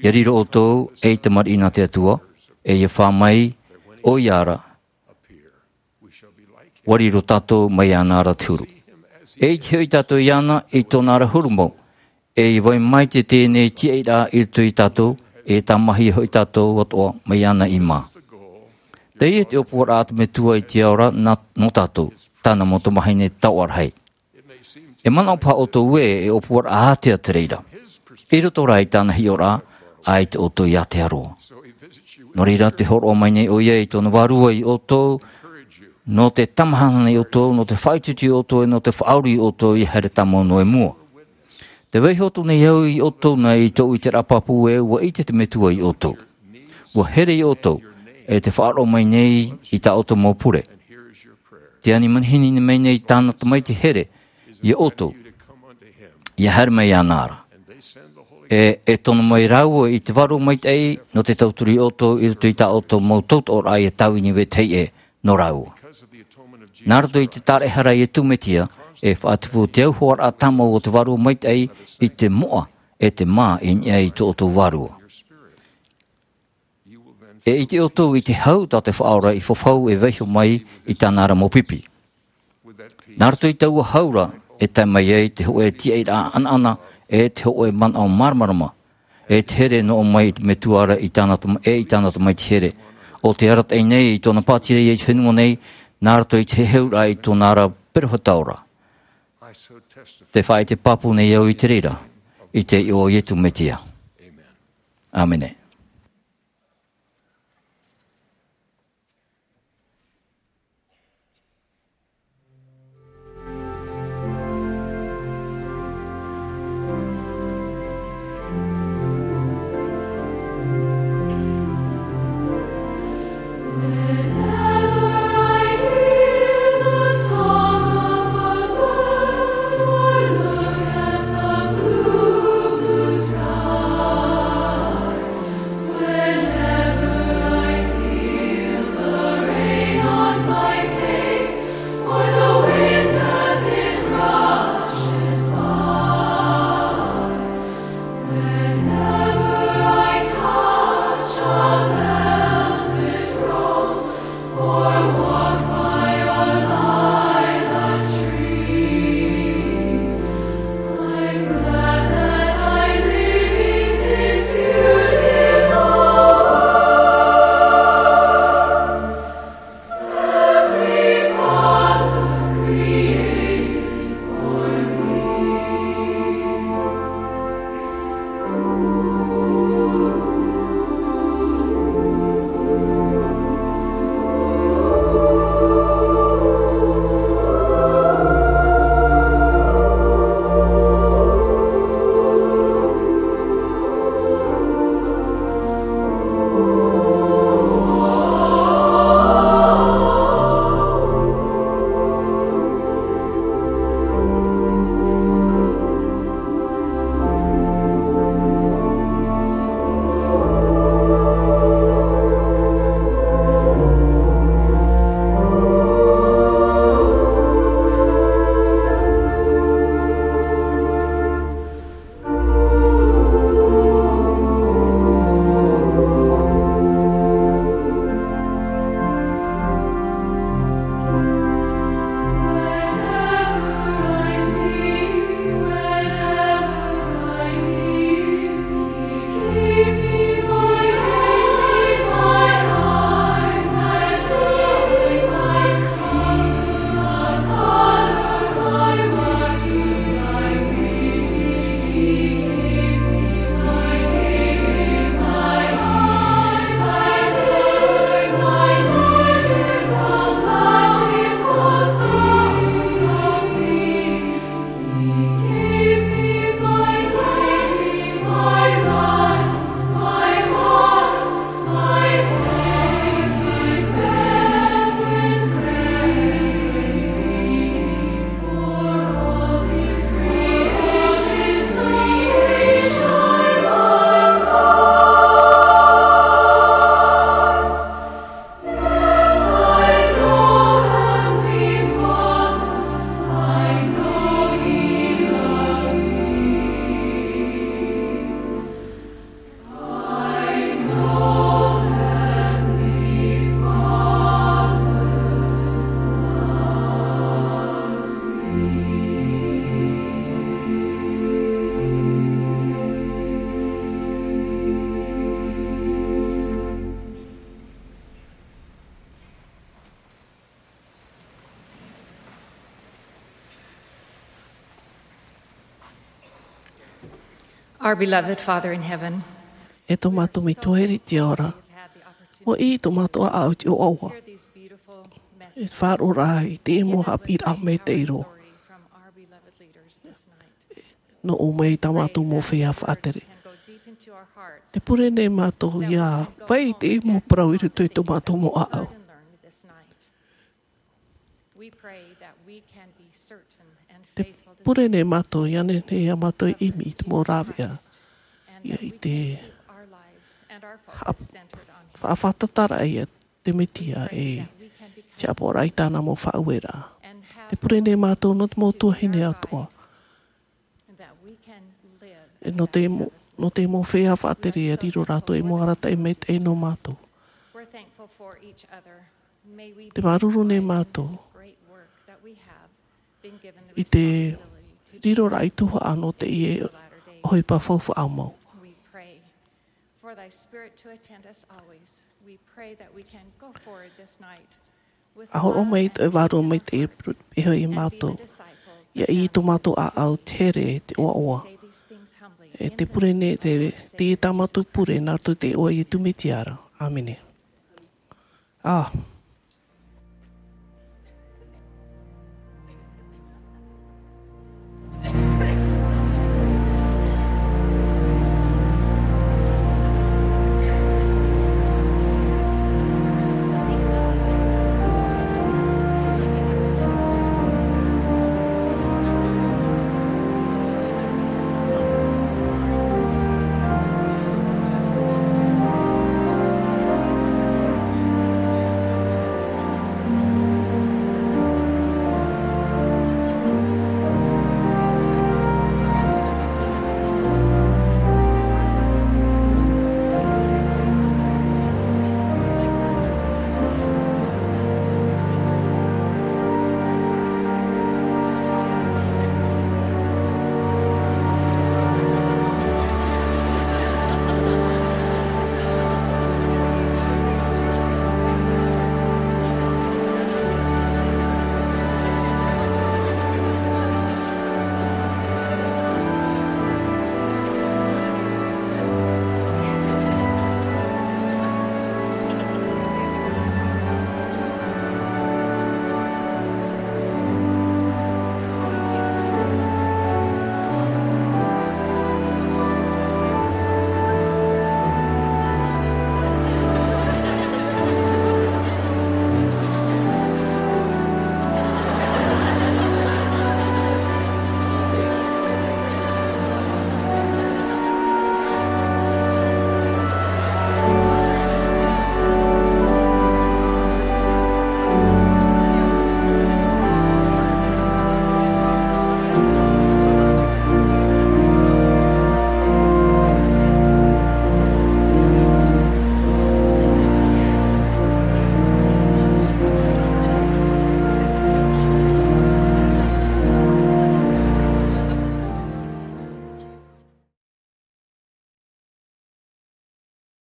ʻIa riro ʻoutou ei tamariʻi nā te Atua, e ʻia fā mai ʻoia ra, ʻua riro tātou mai iāna ra te huru. E ʻite hoʻi tātou iāna i tōna ra huru mau, e ʻia vai mai te teie nei tīaʻiraʻa i roto ia tātou, e tāmāhia hoʻi tātou atoʻa mai iāna i mā. Teie te ʻōpuaraʻa a te Metua i te ao ra nā, nō tātou, tāna mau tamāhine taoʻa rahi. E manaʻo paha ʻoutou ē, e ʻōpuaraʻa ātea te reira. I roto rā i tāna hiʻoraʻa, ʻaita ʻoutou i ātea roa. Nō reira, tē hōroʻa mai nei ʻoia i tōna Vārua ia ʻoutou, nō te tamāhine ia ʻoutou, nō te faʻaitoito ia ʻoutou, e nō te faʻauru ia ʻoutou, ʻia haere tāmau noa i mua. Tē vaiiho atu nei au ia ʻoutou nā i tōʻu ʻiteraʻa pāpū ē, ʻua ʻite te Metua ia ʻoutou. ʻUa here ia ʻoutou, e tē faʻaroʻo mai nei i tā ʻoutou mau pure. Tē ani manihini mai nei tāna Tamaiti here ia ʻoutou, ʻia haere mai iāna ra. E, e tono mai rāua i te Vārua Maitaʻi, nō te tauturu ia ʻoutou, i roto i tā ʻoutou mau tautooraʻa ʻia tāvini i vetahi ʻē nō rāua. Nā roto i te tāraʻehara a Iesu Mesia, e faʻatupu te auhoaraʻa tāmau o te Vārua Maitaʻi i te moʻa, e te mā i niʻa i tō ʻoutou vārua. E ʻite ʻoutou i te hau tā te Faʻaora i fafau e vaiiho mai i tāna ra mau pipi. Nā roto i taua hau ra, e tae mai ai te hōʻē tīaʻiraʻa ʻanaʻana, e te hōʻē manaʻo māramarama, e te here nō ʻō mai i te Metua ra i tāna Tama-, e i tāna Tamaiti here. ʻO tē arataʻi nei i tōna pātireia i te fenua nei, nā roto i te heheuraʻa i tōna ra peropheta ora. Tē faʻaʻite pāpū nei au i te reira, i te iʻoa o Iesu Mesia. ʻĀmene. Our beloved Father in heaven, e tō mātou Metua i te ao ra, ʻua ʻī tō mātou ʻāʻau i te ʻoaʻoa. E faʻaroʻo i te mau haʻapiʻiraʻa maitaʻi roa. Nō ʻō mai tā mātou mau feiā faʻatere. Tē pure nei mātou ʻia vai i te mau parau i roto i tō mātou mau ʻāʻau. Tē pure nei mātou ʻia nehenehe ā mātou e ʻimi i te mau rāveʻa, ʻia ʻite, faʻa-, faʻafātataraʻa ia te Mesia e tiʻaporaraʻa i tāna mau faʻaueraʻa. Tē pure nei mātou nō te mau tuahine atoʻa. E nō te mau, nō te mau feiā faʻatere ʻia riro rātou ei mau arataʻi maitaʻi nō mātou. Tē māuruuru nei mātou i te riroraʻa i tuhaʻa nō teie ʻohipa faufaʻa mau. ʻA hōroʻa mai tō ʻoe Vārua Maitaʻi e pure iho ia mātou, ʻia ʻī i tō mātou ʻāʻau te here, te ʻoaʻoa. E tē pure nei te, teie tā mātou pure nā roto i te iʻoa o Iesu Mesia ra. ʻĀmene. Ā,